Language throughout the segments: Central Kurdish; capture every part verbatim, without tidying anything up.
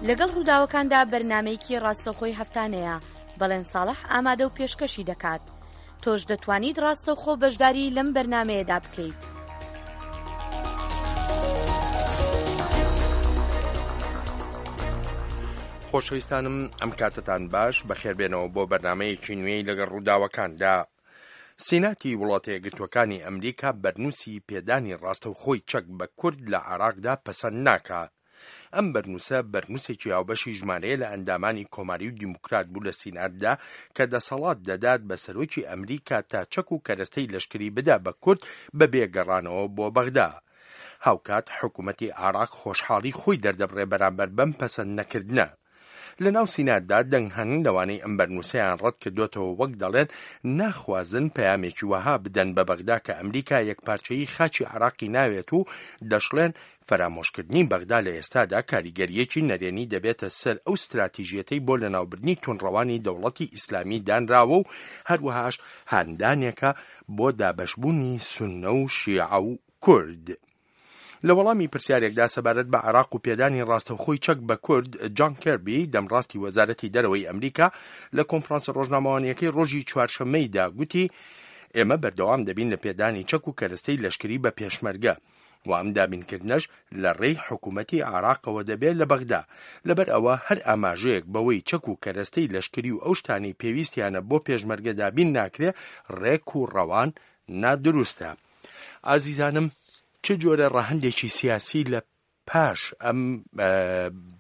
لەگەڵ ڕووداوەکاندا بەرنامەیەکی ڕاستەوخۆی هەفتانەیە، بەڵێن ساڵح ئامادە و پێشکەشی دەکات. تۆش دەتوانیت ڕاستەوخۆ بەشداری لەم بەرنامەیەدا بکەیت. خۆشەویستانم ئەم کاتەتان باش، بەخێربێنەوە بۆ بەرنامەیەکی نوێی لەگەڵ ڕووداوەکاندا. سیناتی وڵاتە یەکگرتووەکانی ئەمریکا بەرنووسی پێدانی ڕاستەوخۆی چەک بە کورد لە عێراقدا پەسەند ناکا. ئەم بەرنووسە بەرنووسێکی هاوبەشی ژمارەیە لە ئەندامانی کۆماری و دیموکرات بوو لە سیناتدا کە دەسەڵات دەدات بە سەرۆکی ئەمریکا تا چەک و کەرەستەی لەشکری بدا بە کورد بەبێ گەڕانەوە بۆ بەغدا. هاوکات حکوومەتی عێراق خۆشحاڵی خۆی دەردەبڕێ بەرامبەر بەم پەسەند نەکردنە. لە ناو سیناتدا دەنگ هەن لەوانەی ئەم بەرنووسەیان ڕەت کردۆتەوە وەک دەڵێن ناخوازن پەیامێکی وەها بدەن بە بەغدا کە ئەمریکا یەکپارچەیی خاکی عێراقی ناوێت و دەشڵێن فەرامۆشکردنی بەغدا لە ئێستادا کاریگەرییەکی نەرێنی دەبێتە سەر ئەو ستراتیژیەتەی بۆ لەناوبردنی توندڕەوانی دەوڵەتی ئیسلامی دانراوە و هەروەهاش هاندانێکە بۆ دابەشبوونی سوننە و شیعە و کورد. لە وەڵامی پرسیارێکدا سەبارەت بە عێراق و پێدانی ڕاستەوخۆی چەک بە کورد، جان کێربی، دەمڕاستی وەزارەتی دەرەوەی ئەمریکا لە کۆنفرانسە ڕۆژنامەوانییەکەی ڕۆژی چوارشەممەیدا گوتی، ئێمە بەردەوام دەبین لە پێدانی چەک و کەرەستەی لەشکری بە پێشمەرگە و ئەم دابینکردنەش لە ڕێی حکوومەتی عێراقەوە دەبێت لە بەغدا، لەبەر ئەوە هەر ئاماژەیەک بەوەی چەک و کەرەستەی لەشکری و ئەو شتانەی پێویستیانە بۆ پێشمەرگە دابین ناکرێ ڕێک و ڕەوان نادروستە. ئازیزانم چ جۆرە ڕەهەندێکی سیاسی لە پاش ئەم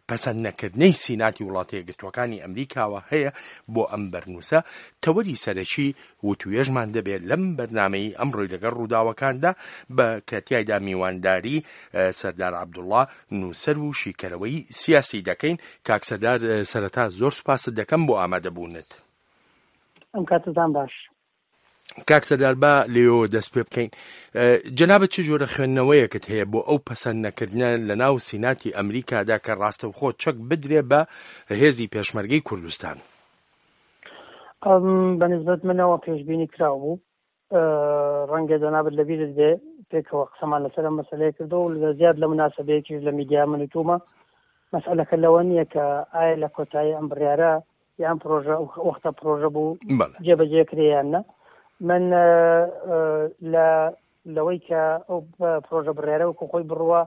پەسەند نەکردنەی سیناتی وڵاتە یەکگرتووەکانی ئەمریکاوە هەیە بۆ ئەم بەرنووسە، تەوەری سەرەکی وتوێژمان دەبێت لەم بەرنامەی ئەمڕۆی لەگەڵ ڕووداوەکاندا بە کە تیایدا میوانداری سەردار عەبدوڵڵا نووسەر و شیکەرەوەی سیاسی دەکەین. کاک سەردار سەرەتا زۆر سوپاست دەکەم بۆ ئامادەبوونت. ئەم کاتتان باش. کاک سەردار با لێوەوە دەست پێ بکەین. جەنابت چ جۆرە خوێندنەوەیەکت هەیە بۆ ئەو پەسەند نەکردنە لە ناو سیناتی ئەمریکادا کە ڕاستەوخۆ چەک بدرێ بە هێزی پێشمەرگەی کوردستان؟ بە نسبەت منەوە پێشبینی کراو بوو. ڕەنگە جەنابت لەبیرت بێ پێکەوە قسەمان لەسەر ئەم مەسەلەیە کردو و لە زیاد لە مناسبەیەکیش لە میدیا من وتومە مەسئلەکە لەوە نییە کە ئایا لە کۆتایی ئەم بڕیارە یان پرۆژە وەختە پرۆژە بوو جێبەجێ کرێ یان نا. من لە لەوەی کە ئەو پرۆژە بڕیارە وەکو خۆی بڕوە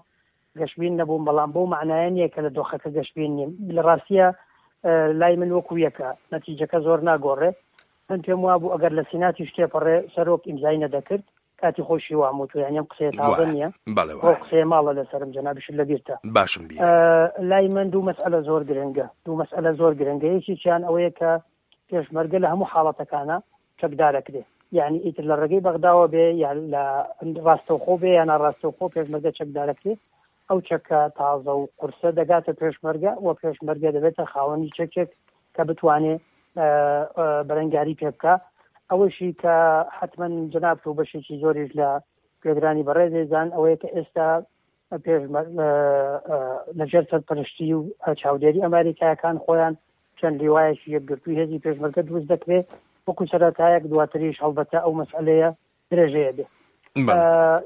گەشبین نەبووم، بەڵام بەو معنایە نییە کە لە دۆخەکە گەشبین نیم. لە ڕاستیە لای من وەکو یەکە، نەتیجەکە زۆر ناگۆڕێ. من پێم وابوو ئەگەر لە سیناتیش تێپەڕێ سەرۆک ئیمزای نەدەکرد، کاتی خۆشی وام وتووە، یعنی ئەم قسەیە تازە نییە، ئەو قسەیە ماڵە لەسەرم، جەنابیشت لەبیرتە. باشم بیر. لای من دوو مەسئلە زۆر گرنگە، دوو مەسئلە زۆر گرنگە. یەکێکیان ئەوەیە کە پێشمەرگە لە هەموو حاڵەتەکانە چەکدارەکرێ، یعنی ئیتر لە ڕێگەی بەغداوە بێ یان لە ڕاستەوخۆ بێ یان ناڕاستەوخۆ پێشمەرگە چەکدارەکرێ. ئەو چەکە تازە و قورسە دەگاتە پێشمەرگە و پێشمەرگە دەبێتە خاوەنی چەکێک کە بتوانێ بەرەنگاری پێ بکە. ئەوەشی کە حتمما جەنابت و بەشێکی زۆریش لە گوێگرانی بەڕێزێزان ئەوەیە کە ئێستا لەژێر سەرپەرشتی و چاودێری ئەمریکایەکان خۆیان چەند لیوایەکی یەکگرتووی هێزی پێشمەرگە دروست دەکرێت وەکو سەرەتایەک، دواتریش هەڵبەتە ئەو مەسئلەیە درێژەیە بێ.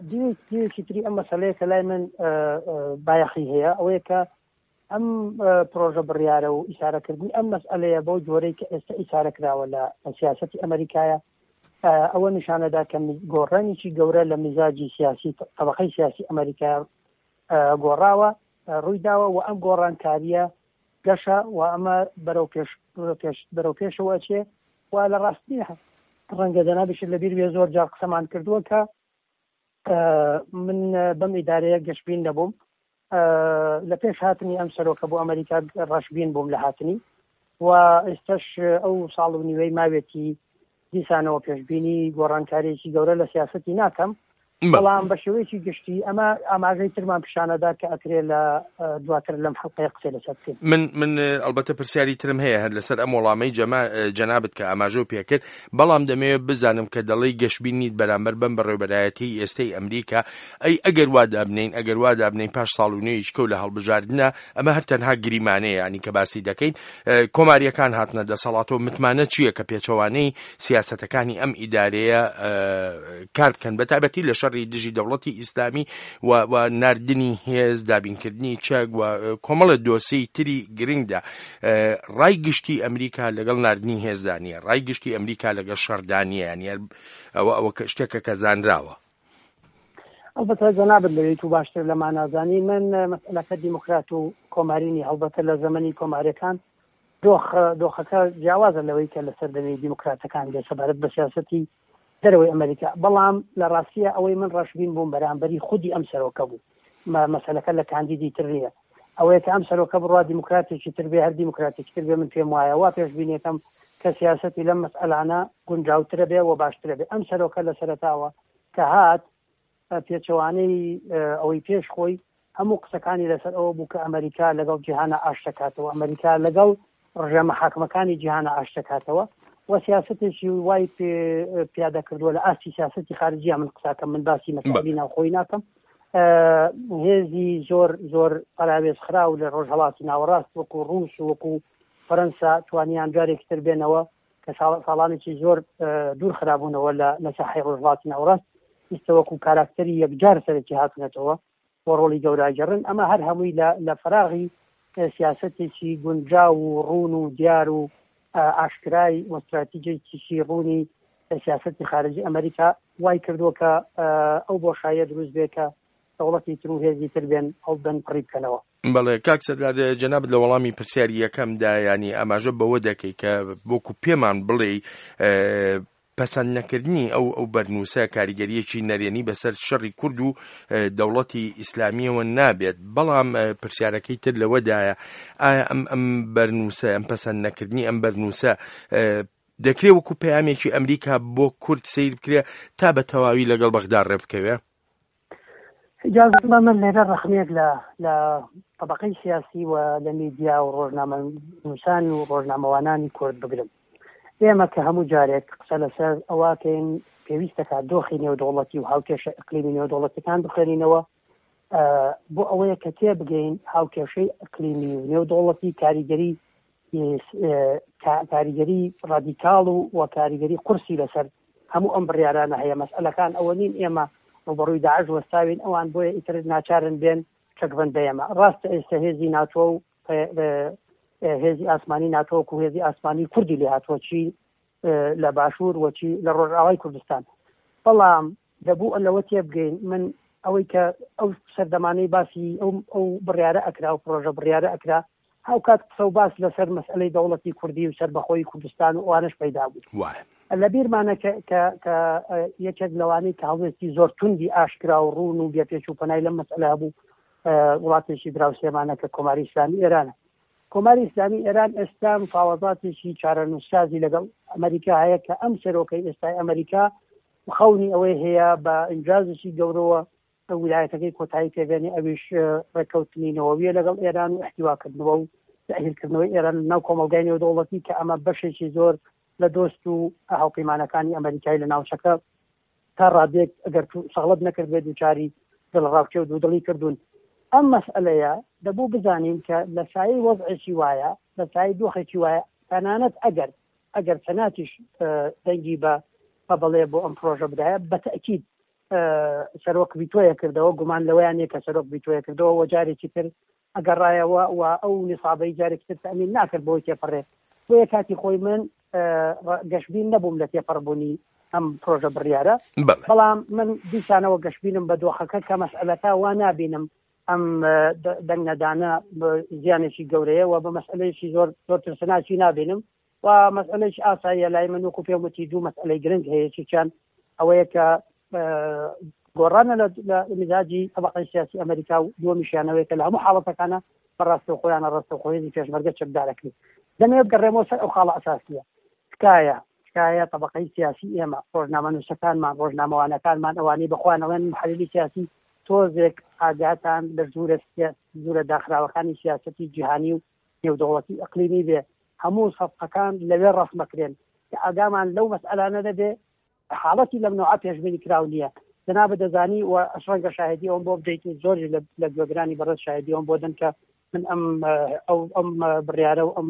دیوێکی تری ئەم مەسئلەیە کە لای من بایەخی هەیە ئەوەیە کە ئەم پرۆژە بڕیارە و ئیشارەکردنی ئەم مەسئلەیە بەو جۆرەی کە ئێستا ئیشارە کراوە لە سیاسەتی ئەمریکایە، ئەوە نیشانەدا کە گۆڕانێکی گەورە لە میزاجی سیاسی طبقەی سیاسی ئەمریکا گۆڕاوە ڕووی داوە و ئەم گۆڕانکاریە گەشە و ئەمە بەرەو پێش بەرەو پێشەوە ئەچێ. و لە ڕاستی ڕەنگە جەنابیشت لەبیر بێ زۆر جار قسەمان کردووە کە من بەم ئیدارەیە گەشبین نەبووم. لە پێش هاتنی ئەم سەرۆکە بۆ ئەمریکا ڕەشبین بووم لە هاتنی و ئێستاش ئەو ساڵ و نیوەی ماوێتی دیسانەوە پێشبینی گۆڕانکاریەکی گەورە لە سیاسەتی ناکەم، بەڵام بە شێوەیەکی گشتی ئەمە ئاماژەی ترمان پیشانەدا کە ئەکرێ لە دواتر لەم حەڵقەیە قسەی لەسەر بکەین. من من ئەلبەتە پرسیاری ترم هەیە هەر لەسەر ئەم وەڵامەی جەنابت کە ئاماژەو پێکرد، بەڵام دەمەوێت بزانم کە دەڵێی گەشبین نیت بەرامبەر بەم بەڕێوەبەرایەتی ئێستەی ئەمریکا، ئەی ئەگەر وا دابنین ئەگەر وا دابنین پاش ساڵ و نوێیش کەو لە هەڵبژاردنە، ئەمە هەر تەنها گریمانەیە ینی کە باسی دەکەین، کۆماریەکان هاتنە دەسەڵاتەوە، متمانە چییە کە پێچەوانەی سیاسەتەکانی ئەم ئیدارەیە کار بکەن بە تایبەتی لە شەڕی شەڕی دژی دەوڵەتی ئیسلامی و و ناردنی هێز، دابینکردنی چەک و کۆمەڵە دۆسیەی تری گرنگدا، ڕای گشتی ئەمریکا لەگەڵ ناردنی هێزدا نییە، ڕای گشتی ئەمریکا لەگەڵ شەڕدا نییە. یانی ئەوە ئەوە شتێکە کە زانراوە. ئەلبەتە جەنابت لەوێی تو باشتر لەمان نازانی. من مەسئلەکە دیموکرات و کۆمارینی، هەڵبەتە لە زەمەنی کۆماریەکان دۆخ دۆخەکە جیاوازە لەوەی کە لەسەر دەمی دیموکراتەکان بێ سەبارەت بە سیاسەتی دەرەوەی ئەمریکا. بەڵام لە ڕاستیە ئەوەی من ڕەشبین بووم بەرامبەری خودی ئەم سەرۆکە بوو، مەسەلەکە لە کاندیدی تر نییە. ئەوەیە کە ئەم سەرۆکە بڕوا دیموکراتێکی تر بێ، هەر دیموکراتێکی تر بێ، من پێم وایە وا پێشبینیەکەم کە سیاسەتی لەم مەسئەلانە گونجاوترە بێ و باشترە بێ. ئەم سەرۆکە لە سەرەتاوە کە هات پێچەوانەی ئەوەی پێش خۆی هەموو قسەکانی لەسەر ئەوە بوو کە ئەمریکا لەگەڵ جیهانە ئاشتەکاتەوە، ئەمریکا لەگەڵ ڕژێمە حاکمەکانی جیهانە ئاشتەکاتەوە و سیاسەتێکی وای پیادە کردووە لە ئاستی سیاسەتی خارجیە. من قساکەم، من باسی مەسئلەی ناوخۆی ناکەم. هێزی زۆر زۆر پەراوێز خراو لە ڕۆژهەڵاتی ناوەڕاست وەکو ڕووس و وەکو فەرەنسا توانیان جارێکی تر بێنەوە کە ساڵانێکی زۆر دوور خرابوونەوە لە ساحەی ڕۆژهەڵاتی ناوەڕاست، ئێستا وەکو کاراکتەری یەکجار سەرەکی هاتوونەتەوە و ڕۆڵی گەوراگەڕن. ئەمە هەر هەمووی لە فەراغی سیاسەتێکی گونجاو و ڕوون و دیار و ئاشکرای و استراتیژێکی ڕوونی سیاسەتی خارجی ئەمریکا وای کردووە کە ئەو بۆشاییە دروست بێ کە دەوڵەتی تر و هێزی تر بێن ئەو بن پڕی بکەنەوە. بەڵێ کاک سەردار، جەنابت لە وەڵامی پرسیاری یەکەمدا ینی ئاماژە بەوە دەکەی کە وەکو پێمان بڵێ پەسەند نەکردنی ئەو ئەو بەرنووسە کاریگەریەکی نەرێنی بەسەر شەڕی کورد و دەوڵەتی ئیسلامیەوە نابێت. بەڵام پرسیارەکەی تر لەوەدایە ئایا ئەم ئەم بەرنووسە، ئەم پەسەند نەکردنی ئەم بەرنووسە دەکرێ وەکو پەیامێکی ئەمریکا بۆ کورد سەیر بکرێ تا بە تەواوی لەگەڵ بەغدا ڕێ بکەوێ؟ ئیجازە بە من لێرە ڕەخنەیەک لە لە طبقەی سیاسی و لە میدیا و ڕۆژنامەنووسان و ڕۆژنامەوانانی کورد بگرم. ئێمە کە هەموو جارێک قسە لەسەر ئەوەکەین پێویستەکە دۆخی نێودەوڵەتی و هاوکێشە ئەقلیمی نێودەوڵەتەکان بخوێنینەوە بۆ ئەوەیە کە تێبگەین هاوکێشەی ئەقلیمی و نێودەوڵەتی کاریگەری کاریگەری ڕادیکاڵ و و کاریگەری قورسی لەسەر هەموو ئەم بڕیارانە هەیە. مەسئلەکان ئەوە نین ئێمە ڕوبەڕووی داعش وەستاوین، ئەوان بۆیە ئیتر ناچارن بێن چەکبەند بە ئێمە. ڕاستە ئێستا هێزی ناتۆ و هێزی ئاسمانی ناتۆ و هێزی ئاسمانی کوردی لێ هاتووە چی لە باشوور و چی لە ڕۆژئاوای کوردستان، بەڵام دەبوو لەوە تێبگەین من ئەوەی کە ئەو سەردەمانەی باسی ئەو ئەو بڕیارە ئەکرا و پرۆژە بڕیارە ئەکرا هاوکات قسە و باس لەسەر مەسئلەی دەوڵەتی کوردی و سەربەخۆی کوردستان و ئەوانەش پەیدا بوو. لە بیرمانە کە کە یەکێک لەوانەی کە هەڵوێستی زۆر توندی ئاشکرا و ڕوون و بێپێچ و پەنای لەم مەسئلە هەبوو وڵاتێکی دراوسێمانە کە کۆماری ئیسلامی ئێرانە. کۆماری ئیسلامی ئێران ئێستا مفاوەزاتێکی چارەنووسسازی لەگەڵ ئەمریکا هەیە کە ئەم سەرۆکەی ئێستای ئەمریکا خەونی ئەوەی هەیە بە ئینجازێکی گەورەوە ویلایەتەکەی کۆتایی پێبێنێ، ئەویش ڕێککەوتنی نەوەویە لەگەڵ ئێران و احتیواکردنەوە و تەئهیلکردنەوەی ئێران ناو کۆمەڵگای نێودەوڵەتی کە ئەمە بەشێکی زۆر لە دۆست و هاوپەیمانەکانی ئەمریکای لە ناوچەکە تا ڕادێک ئەگەر سەغڵەت نەکرد بێت دووچاری دڵڕاوکێ و دوودڵی کردوون. ئەم مەسئلەیە دەبوو بزانین کە لە سایەی وەزعێکی وایە، لە سایەی دۆخێکی وایە، تەنانەت ئەگەر ئەگەر سەناتیش دەنگی بە بەڵێ بۆ ئەم پرۆژە بدایە بە تەئکید سەرۆک ڤیتۆیە کردەوە، گومان لەوەیان نییە کە سەرۆک ڤیتۆیە کردەوە و جارێکی تر ئەگەڕایەوە و ئەو نیسابەی جارێکی تر تەئمین ناکرد بۆی تێپەڕێ. بۆیە کاتی خۆی من گەشبین نەبووم لە تێپەڕبوونی ئەم پرۆژە بڕیارە، بەڵام من دیسانەوە گەشبینم بە دۆخەکە کە مەسئلەکە وا نابینم ئەم دەنگ نەدانە زیانێکی گەورەیە و بە مەسئلەیەکی زۆر زۆر ترسناکی نابینم و مەسئلەیەکی ئاساییە لای من. وەکو پێم وتی دوو مەسئلەی گرنگ هەیە، یەکێکیان ئەوەیە کە گۆڕانە لە مزاجی طبقەی سیاسی ئەمریکا و دووەمیشیانەوەیە کە لە هەموو حاڵەتەکانە بە ڕاستەوخۆیانە ڕاستەوخۆ هێزی پێشمەرگە چەکدارەکرێت. دەمەوێت بگەڕێمەوە سەر ئەو خاڵە ئەساسیە. تکایە تکایە طبقەی سیاسی ئێمە، ڕۆژنامەنووسەکانمان، ڕۆژنامەوانەکانمان، ئەوانەی بەخۆیان ئەڵێن محەلیلی سیاسی، تۆزێک ئاگاتان لە ژوورە ژوورە داخراوەکانی سیاسەتی جیهانی و نێودەوڵەتی ئەقلیمی بێ. هەموو سەفقەکان لەوێ ڕەسمەکرێن کە ئاگامان لەو مەسئلانە نەبێ. حاڵەتی لەم نەوعە پێشبینی کراو نییە. جەنابت دەزانی و ڕەنگە شاهدی ئەوم بۆ بدەیت و زۆریش لە گوێگرانی بەڕێز شاهدی ئەوم بۆ دەن کە من ئەم ئەو ئەم بڕیارە و ئەم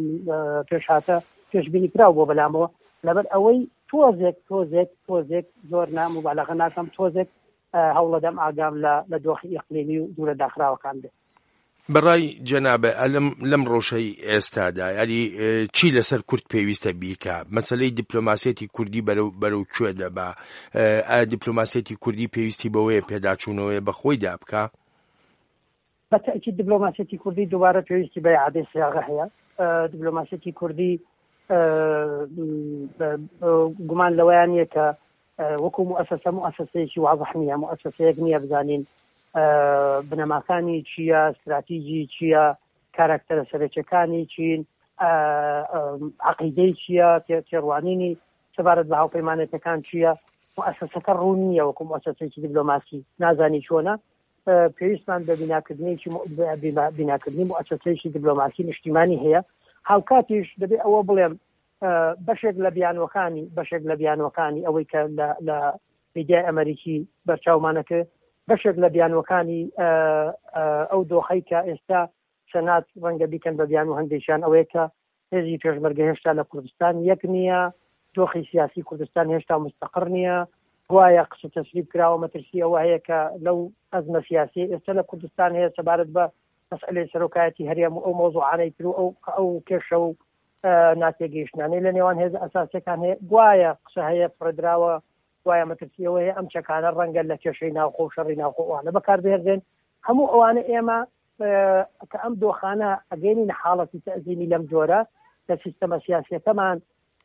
پێشهاتە پێشبینی کراو بۆ بەلامەوە، لەبەر ئەوەی تۆزێک تۆزێک تۆزێک زۆر ناموبالغە ناکەم، تۆزێک هەوڵەدەم ئاگام لە دۆخی ئیقلیمی و دوورە داخراوەکان بێت. بەڕای جەنابە ئەلم لەم ڕۆژەی ئێستادا یاری چی لەسەر کورد پێویستە بیکا؟ مەسلەی دیپلۆماسیەتی کوردی بەرەو بەرەو کوێ دەبا؟ ئایا دیپلۆماسیەتی کوردی پێویستی بەوەیە پێداچوونەوەیە بە خۆیدا بکا؟ بە تەئکید دیپلۆماسیەتی کوردی دووبارە پێویستی بە ئیعادەی سیاغە هەیە. دیپلۆماسیەتی کوردی گومان لەوەیان نییە کە وەکو مؤسسە مؤسسەیەکی واضح نییە، مؤسسەیەک نییە بزانین بنەماکانی چییە، استراتیژی چییە، کاراکتەرە سەرەکیەکانی چین، عەقیدەی چییە، تێڕوانینی سەبارەت بە هاوپەیمانێتەکان چییە. مؤسسەکە ڕوون نییە وەکو مؤسسەیەکی دیپلۆماسی، نازانی چۆنە. پێویستمان بە بیناکردنێکی بیناکردنی مؤسسەیەکی دیپلۆماسی نیشتیمانی هەیە. هاوکاتیش دەبێ ئەوە بڵێم بەشێک لە بیانوەکانی بەشێک لە بیانوەکانی ئەوەی کە لە میدیای ئەمریکی بەرچاومانەکە، بەشێک لە بیانوەکانی ئەو دۆخەی کە ئێستا سەنات ڕەنگە بیکەن بە بیان و هەندێکیان ئەوەیە کە هێزی پێشمەرگە هێشتا لە کوردستان یەک نییە، دۆخی سیاسی کوردستان هێشتا مستەقڕ نییە، گوایە قسە تەسریب کراوە، مەترسی ئەوە هەیە کە لەو ئەزمە سیاسی ئێستا لە کوردستان هەیە سەبارەت بە مەسئلەی سەرۆکایەتی هەرێم و ئەو مەوزوعانەی تر و ئەو ئەو کێشە و ناتێگەیشتنانەی لە نێوان هێزە ئەساسیەکان هەیە، گوایە قسە هەیە فڕێدراوە، گوایە مەترسی ئەوە هەیە ئەم چەکانە ڕەنگە لە کێشەی ناوخۆ و شەڕی ناوخۆ ئەوانە بەکاربهێنرێن. هەموو ئەوانە ئێمە کە ئەم دۆخانە ئەگەینین حاڵەتی تەئزیمی لەم جۆرە لە سیستەمە سیاسیەکەمان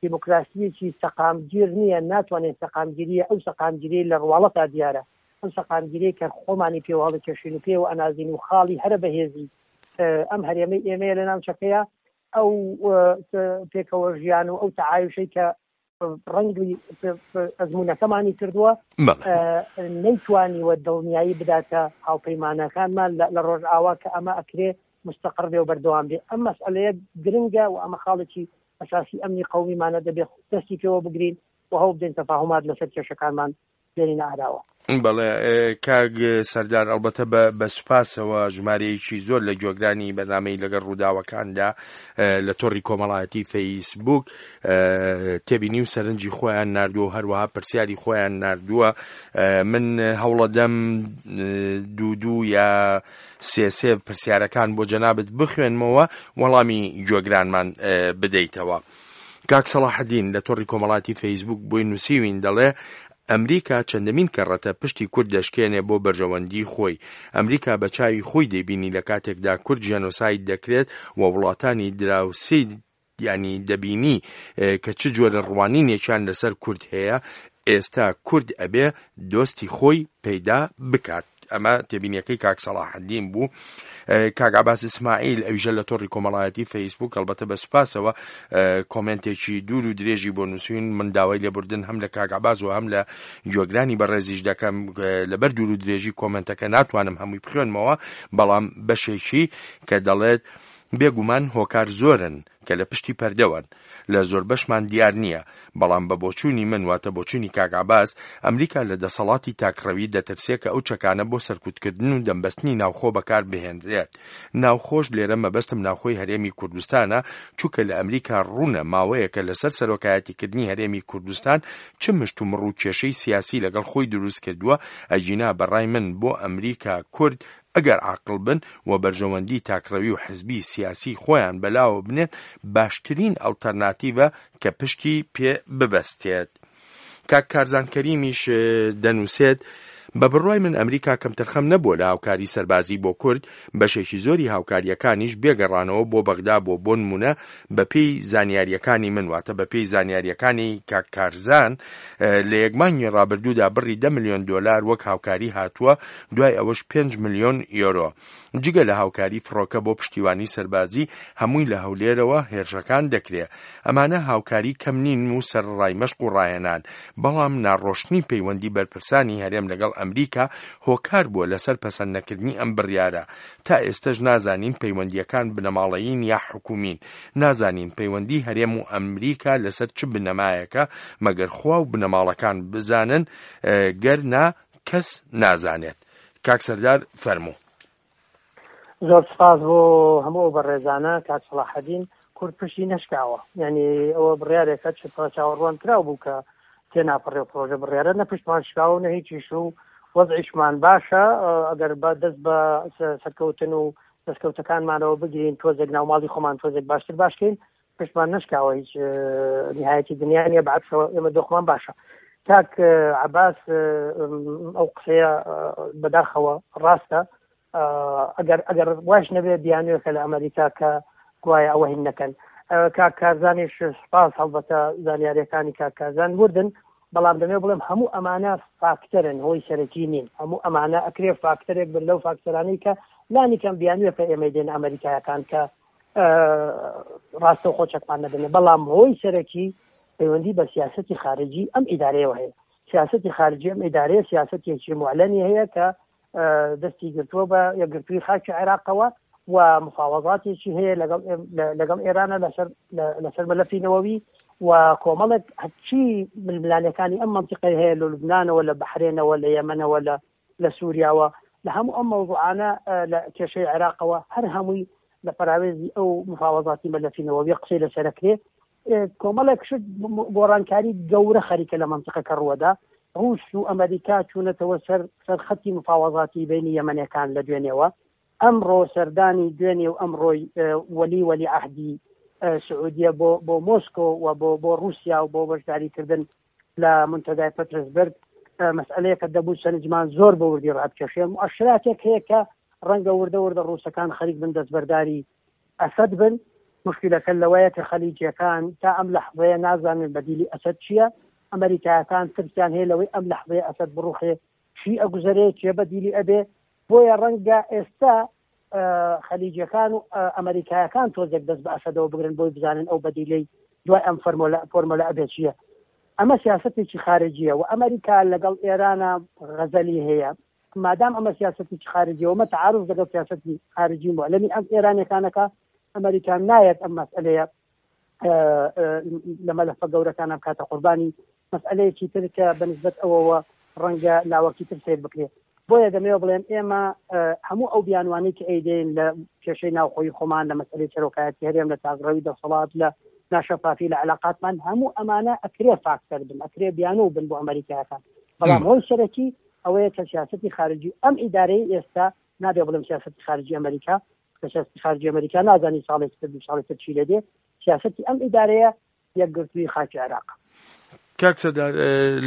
دیموکراسیەکی سەقامگیر نییە، ناتوانێت سەقامگیریە ئەو سەقامگیری لە ڕواڵەتا دیارە، ئەم سەقامگیری کە خۆمانی پێوە هەڵکێشین و پێوە ئەنازین و خاڵی هەرە بەهێزی ئەم هەرێمەی ئێمەیە لە ناوچەکەیە، ئەو پێکەوە ژیان و ئەو تەعایشەی کە ڕەنگی ئەزمونەکەمانی کردووە نەیتوانیوە دڵنیایی بداتە هاوپەیمانەکانمان لە ڕۆژئاوا کە ئەمە ئەکرێ مستەقڕ بێ و بەردەوام بێ. ئەم مەسئلەیە گرنگە و ئەمە خاڵێکی ئەساسی ئەمنی قەومیمانە دەبێت دەستی پێوە بگرین و هەوڵ بدەین تەفاهومات لەسەر کێشەکانمان بێنینە ئاراوە. بەڵێ کاک سەردار، ئەلبەتە بە سوپاسەوە ژمارەیەکی زۆر لە گوێگرانی بەرنامەی لەگەڵ ڕووداوەکاندا لە تۆڕی کۆمەڵایەتی فەیسبوک تێبینی و سەرنجی خۆیان ناردووە و هەروەها پرسیاری خۆیان ناردووە. من هەوڵەدەم دوو دوو یا سێ سێ پرسیارەکان بۆ جەنابت بخوێنمەوە وەڵامی گوێگرانمان بدەیتەوە. کاک سەڵاحەدین لە تۆڕی کۆمەڵاتی فەیسبوک بۆی نووسیوین دەڵێ ئەمریکا چەندەمین کەڕەتە پشتی کورد دەشکێنێ بۆ بەرژەوەندی خۆی. ئەمریکا بە چاوی خۆی دەیبینی لە کاتێکدا کورد ژێنۆساید دەکرێت و وڵاتانی دراوسێ ینی دەبینی کە چ جۆرە ڕوانینێکیان لەسەر کورد هەیە. ئێستا کورد ئەبێ دۆستی خۆی پەیدا بکات. ئەمە تێبینیەکەی کاک سەڵاحەدین بوو. کاک عەباس ئیسماعیل ئەویژە لە تۆڕی کۆمەڵایەتی فەیسبوک ئەلبەتە بە سوپاسەوە کۆمێنتێکی دوور و درێژی بۆ نووسین. من داوای لێبوردن هەم لە کاک عەباس و هەم لە گوێگرانی بەڕێزیش دەکەم، لەبەر دوور و درێژی کۆمێنتەکە ناتوانم هەمووی بخوێنمەوە، بەڵام بەشێکی کە دەڵێت بێگومان هۆکار زۆرن کە لە پشتی پەردەوەن، لە زۆر بەشمان دیار نییە، بەڵام بە بۆچوونی من واتە بۆچوونی کاک عەباس، ئەمریکا لە دەسەڵاتی تاکڕەوی دەترسێ کە ئەو چەکانە بۆ سەرکوتکردن و دەمبەستنی ناوخۆ بەکار بهێنرێت. ناوخۆش لێرە مەبەستم ناوخۆی هەرێمی کوردستانە، چونکە لە ئەمریکا ڕوونە ماوەیەکە لەسەر سەرۆکایەتیکردنی هەرێمی کوردستان چ مشت و مڕ و کێشەی سیاسی لەگەڵ خۆی دروست کردووە. ئەگینا بەڕای من بۆ ئەمریکا کورد ئەگەر عاقڵ بن و بەرژەوەندی تاکڕەوی و حزبی سیاسی خۆیان بەلاوە بنێن باشترین ئەڵتەرناتیڤە کە پشتی پێ ببەستێت. کاک کارزان کەریمیش دەنووسێت بە بڕوای من ئەمریکا کەمتەرخەم نەبووە لە هاوکاری سەربازی بۆ کورد، بەشێکی زۆری هاوکاریەکانیش بێگەڕانەوە بۆ بەغدا بۆ بۆ نمونە بەپێی زانیاریەکانی من، واتە بەپێی زانیاریەکانی کاک کارزان لە یەک مانگی ڕابردوودا بڕی دە ملیۆن دۆلار وەک هاوکاری هاتووە، دوای ئەوەش پێنج ملیۆن یۆرۆ. جگە لە هاوکاری فڕۆکە بۆ پشتیوانی سەربازی هەمووی لە هەولێرەوە هێرشەکان دەکرێ. ئەمانە هاوکاری کەم نین و سەرڕای مەشق و ڕاهێنان، بەڵام ناڕۆشنی پەیوەندی بەرپرسانی هەرێم لەگەڵ ئەمریکا هۆکار بووە لەسەر پەسەند نەکردنی ئەم بڕیارە. تا ئێستەش نازانین پەیوەندیەکان بنەماڵەیین یا حکومین، نازانین پەیوەندی هەرێم و ئەمریکا لەسەر چ بنەمایەکە، مەگەر خوا و بنەماڵەکان بزانن، گەر نا کەس نازانێت. کاک سەردار فەرموو. زۆر سپاس بۆ هەموو ئەو بەڕێزانە. کاک سەڵاحەدین، کورد پشتی نەشکاوە، یعنی ئەوە بڕیارێکە چ چاوەڕوان کراو بوو کە تێناپەڕێ و پرۆژە بڕیارە نە پشتمان شکاوە نە هیچیش و وەزعیشمان باشە، ئەگەر بە دەست بە سەرکەوتن و دەستکەوتەکانمانەوە بگرین تۆزێک ناوماڵی خۆمان تۆزێک باشتر باشکەین، پشتمان نشکاوە، هیچ نهایەتی دنیا نییە، بەعکسەوە ئێمە دۆخمان باشە. کاک عەباس ئەو قسەیە بەداخەوە ڕاستە، ئەگەر ئەگەر واش نەبێ بیانوێکە لە ئەمریکا کە گوایە ئەوە هین نەکەن. کاک کارزانیش سپاس، هەڵبەتە زانیاریەکانی کاک کارزان وردن، بەڵام دەمێ بڵێم هەموو ئەمانە فاکتەرن، هۆی سەرەکی نین. هەموو ئەمانە ئەکرێ فاکتەرێک بن لەو فاکتەرانەی کە لانی کەم بیانوێکە ئێمەی دێن ئەمریکایەکان کە ڕاستەوخۆ چەکمان نەدەنێ، بەڵام هۆی سەرەکی پەیوەندی بە سیاسەتی خارجی ئەم ئیدارەیەوە هەیە. سیاسەتی خارجی ئەم ئیدارەیە سیاسەتێکی معلنی هەیە کە دەستی گرتووە بە یەکگرتووی خاکی عێراقەوە و مفاوەزاتێکی هەیە لەگەڵ لەگەڵ ئێرانە لەسەر لەسەر مەلەفی نەوەوی و کۆمەڵێک هەرچی ململانەکانی ئەم منطقەی هەیە لە لوبنانەوە، لە بەحرێنەوە، لە یەمەنەوە، لە لە سووریاوە، لە هەموو ئەم مەوزوعانە لە کێشەی عێراقەوە هەر هەمووی لە پەراوێزی ئەو مفاوەزاتی مەلەفی نەوەوی قسەی لەسەرەکرێ. کۆمەڵێک شت گۆڕانکاری گەورە خەریکە لە منطقەکە ڕووەدا. ڕووس و ئەمریکا چوونەتەوە سەر سەر خەتی مفاوەزاتی بینی یەمەنەکان لە دوێنێوە. ئەمڕۆ سەردانی دوێنێ و ئەمڕۆی وەلی وەلی عەهدی سعودیە بۆ بۆ مۆسکۆ و بۆ بۆ رووسیا و بۆ بەشداریکردن لە منتەدای پترسبرگ مەسئلەیەکە دەبوو سەرنجمان زۆر بە وردی ڕابکێشێ. مؤشراتێک هەیە کە ڕەنگە وردە وردە ڕووسەکان خەریک بن دەستبەرداری ئەسەد بن. مشکلەکە لەوەیە کە خەلیجیەکان تا ئەم لەحظەیە نازانن بەدیلی ئەسەد چییە. ئەمریکایەکان ترسیان هەیە لەوەی ئەم لەحظەیە ئەسەد بڕوخێ چی ئەگوزەرێ، چێ بەدیلی ئەبێ. بۆیە ڕەنگە ئێستا خەلیجیەکان و ئەمریکایەکان تۆزێک دەست بە ئەسەدەوە بگرن بۆی بزانن ئەو بەدیلەی دوای ئەم فۆرمۆلە ئەبێ چییە. ئەمە سیاسەتێکی خارجیە و ئەمریکا لەگەڵ ئێرانە غەزەلی هەیە. مادام ئەمە سیاسەتێکی خارجیە و مە تعارض لەگەڵ سیاسەتی خارجی معلنی ئەم ئێرانیەکانەکە، ئەمریکا نایەت ئەم مەسئلەیە لە مەلەفە گەورەکانە بکاتە قوربانی. مەسئلەیەکی تر کە بەنسبەت ئەوەوە ڕەنگە لاوەکی تر سەیر بکرێت. بۆیە دەمەوێت بڵێم ئێمە هەموو ئەو بیانوانەی کە ئەیدەین لە کێشەی ناوخۆی خۆمان، لە مەسئلەی سەرۆکایەتی هەرێم، لە تاقڕەوی دەسەڵات، لە ناشەفافی لە علاقاتمان، هەموو ئەمانە ئەکرێ فاکتەر بن، ئەکرێ بیانوو بن بۆ ئەمریکایەکان. بەڵام هۆی سەرەکی ئەوەیە کە سیاسەتی خارجی ئەم ئیدارەی ئێستا، نابێ بڵێم سیاسەتی خارجی ئەمریکا، کە سیاسەتی خارجی ئەمریکا نازانی ساڵێکی تر دوو ساڵێکی تر چی لێ دێ، سیاسەتی ئەم ئیدارەیە یەکگرتووی خاکی عێراق. کاک سەردار،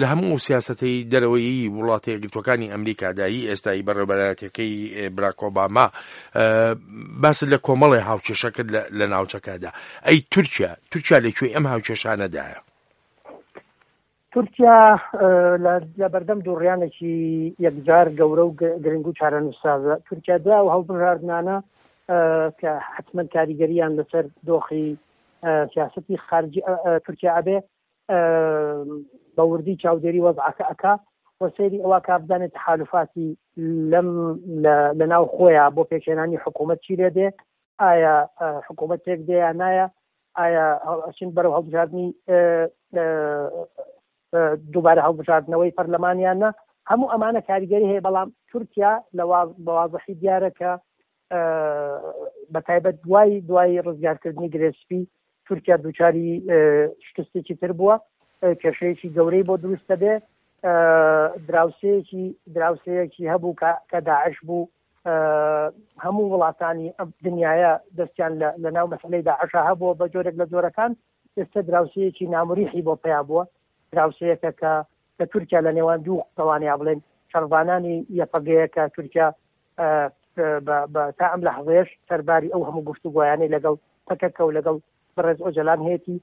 لە هەموو سیاسەتی دەرەوەیی وڵاتە یەکگرتووەکانی ئەمریکادایی ئێستایی بەڕێوەبەرایەتیەکەی باراک ئۆباما باس لە کۆمەڵێ هاوکێشە کرد لە ناوچەکەدا. ئەی تورکیا، تورکیا لەکوێی ئەم هاوکێشانەدایە؟ تورکیا لە بەردەم دووڕیانێکی یەکجار گەورە و گرنگ و چارەنووسسازە. تورکیا دوای ئەو هەڵبژاردنانە کە حتمما کاریگەریان لەسەر دۆخی سیاسەتی خارجی تورکیا ئەبێ، بە وردی چاودێری وەزعەکە ئەکا و سەیری ئەوە کا بزانێت تەحالفاتی لەم لە ناو خۆیان بۆ پێکهێنانی حکوومەت چی لێ دێ، ئایا حکوومەت پێک دێ یا نایە، ئایا ئەچین بەرەو هەڵبژاردنی دووبارە هەڵبژاردنەوەی پەرلەمانیان نا. هەموو ئەمانە کاریگەری هەیە. بەڵام تورکیا لە بە وازحی دیارە کە بە تایبەت دوای دوای ڕزگارکردنی گرێسپی تورکیا دووچاری شکستێکی تر بووە، کێشەیەکی گەورەی بۆ دروست دەبێ. دراوسەیەکی دراوسەیەکی هەبوو کە داعش بوو، هەموو وڵاتانی دنیاە دەستیان لە ناو مەسئلەی داعشا هەبووە بە جۆرێک لە جۆرەکان. ئێستا دراوسەیەکی نامریحی بۆ پیا بووە، دراوسەیەکە کە کە تورکیا لە نێوان دوو قەوانەیە بڵێن شەڕڤانانی یەپەگەیە کە تورکیا تا ئەم لەحظەیەش سەرباری ئەو هەموو گفتوگۆیانەی لەگەڵ پەکەکە و لەگەڵ بەڕێز ئۆجەلان هەیەتی،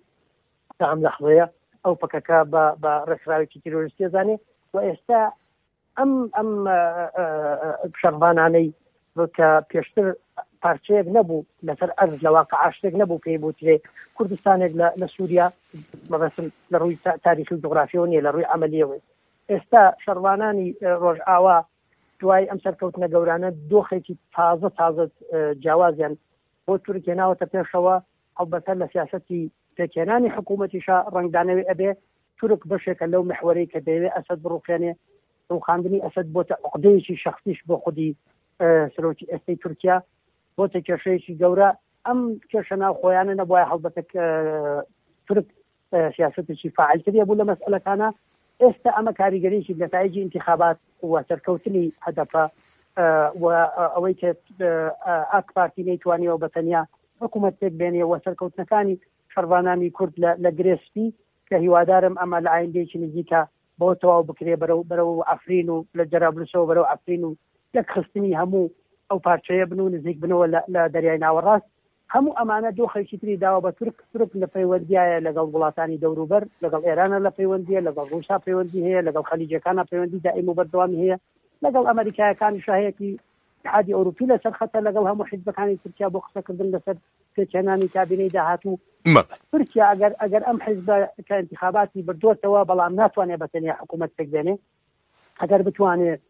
تا ئەم لەحظەیە ئەو پەکەکە بە ڕێکخراوێکی تیرۆریستی زانێ. و ئێستا ئەم ئەم شەڕڤانانەی کە پێشتر پارچەیەک نەبوو لەسەر ئەرز، لە واقع شتێک نەبوو پێی بوترێ کوردستانێک لە سووریا، مەبەستم لە ڕووی تاریخی و جوغرافیەوە نییە، لە ڕووی عەمەلیەوە. ئێستا شەڕوانانی ڕۆژئاوا دوای ئەم سەرکەوتنە گەورانە دۆخێکی تازە تازە جیاوازیان بۆ تورک هێناوەتە پێشەوە. هەڵبەتە لە سیاسەتی پێکهێنانی حکوومەتیشا ڕەنگدانەوەی ئەبێ. تورک بەشێکە لەو محوەرەی کە دەیەوێ ئەسەد بڕوخێنێ. ڕوخاندنی ئەسەد بۆتە عقدەیەکی شەخسیش بۆ خودی سەرۆکی ئێستەی تورکیا، بۆتە کێشەیەکی گەورە. ئەم کێشە ناوخۆیانە نەبوایە هەڵبەتە تورک سیاسەتێکی فاعلتریە بوو لە مەسئلەکانە. ئێستا ئەمە کاریگەریی نەتایجی انتخابات و سەرکەوتنی هەدەپە و ئەوەی کە ئاک پارتی نەیتوانیەوە بە تەنیا حکوومەت پێک بێنێ و سەرکەوتنەکانی شەڕڤانانی کورد لە گرێسپی کە هیوادارم ئەمە لە ئایندەیەکی نزیکە بۆ تەواو بکرێ بەرەو بەرەو ئەفرین و لە جەرابلوسەوە بەرەو ئەفرین و یەکخستنی هەموو ئەو پارچەیە بن و نزیک بنەوە لە دەریای ناوەڕاست. هەموو ئەمانە دۆخێکی تری داوە بە تورک. تورک لە پەیوەندیایە لەگەڵ وڵاتانی دەوروبەر، لەگەڵ ئێرانە لە پەیوەندیە، لەگەڵ ڕووسا پەیوەندی هەیە، لەگەڵ خەلیجەکانە پەیوەندی دائیم و بەردەوامی هەیە، لەگەڵ ئەمریکایەکانی شاهەیەکی اتحادی ئەوروپی لەسەر خەتە، لەگەڵ هەموو حیزبەکانی تورکیا بۆ قسەکردن لەسەر پێکهێنانی کابینەی داهاتوو. تورکیا ئەگەر ئەگەر ئەم حیزبە کە انتخاباتی بردووەتەوە بەڵام ناتوانێت بە تەنیا حکوومەت پێک بێنێ، ئەگەر بتوانێت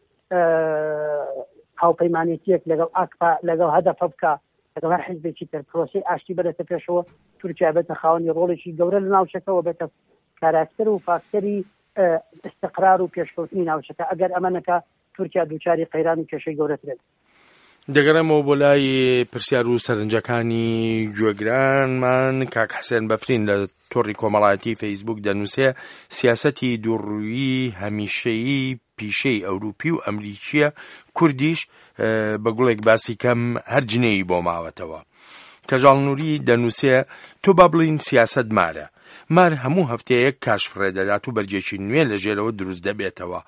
هاوپەیمانێتیەک لەگەڵ ئاکپا لەگەڵ هەدەپە بکە، لەگەڵ هەر حیزبێکی تر پرۆسەی ئاشتی بەرێتە پێشەوە، تورکیا بێتە خاوەنی ڕۆڵێکی گەورە لە ناوچەکەوە، بێتە کاراکتەر و فاکتەری استقرار و پێشکەوتنی ناوچەکە. ئەگەر ئەمە نەکا تورکیا دووچاری قەیران و کێشەی گەورەترێت. دەگەڕێمەوە بۆ لای پرسیار و سەرنجەکانی گوێگرانمان. کاک حسێن بەفرین لە تۆڕی کۆمەڵایەتی فەیسبوک دەنووسێ سیاسەتی دووڕوویی هەمیشەیی پیشەی ئەوروپی و ئەمریکیە، کوردیش بە گوڵێک باسی کەم هەر جنێی بۆ ماوەتەوە. کەژاڵ نووری دەنووسێ تۆ با بڵین سیاسەت مارە، مار هەموو هەفتەیەک کاش فڕێ دەدات و بەرجێکی نوێ لە ژێرەوە دروست دەبێتەوە.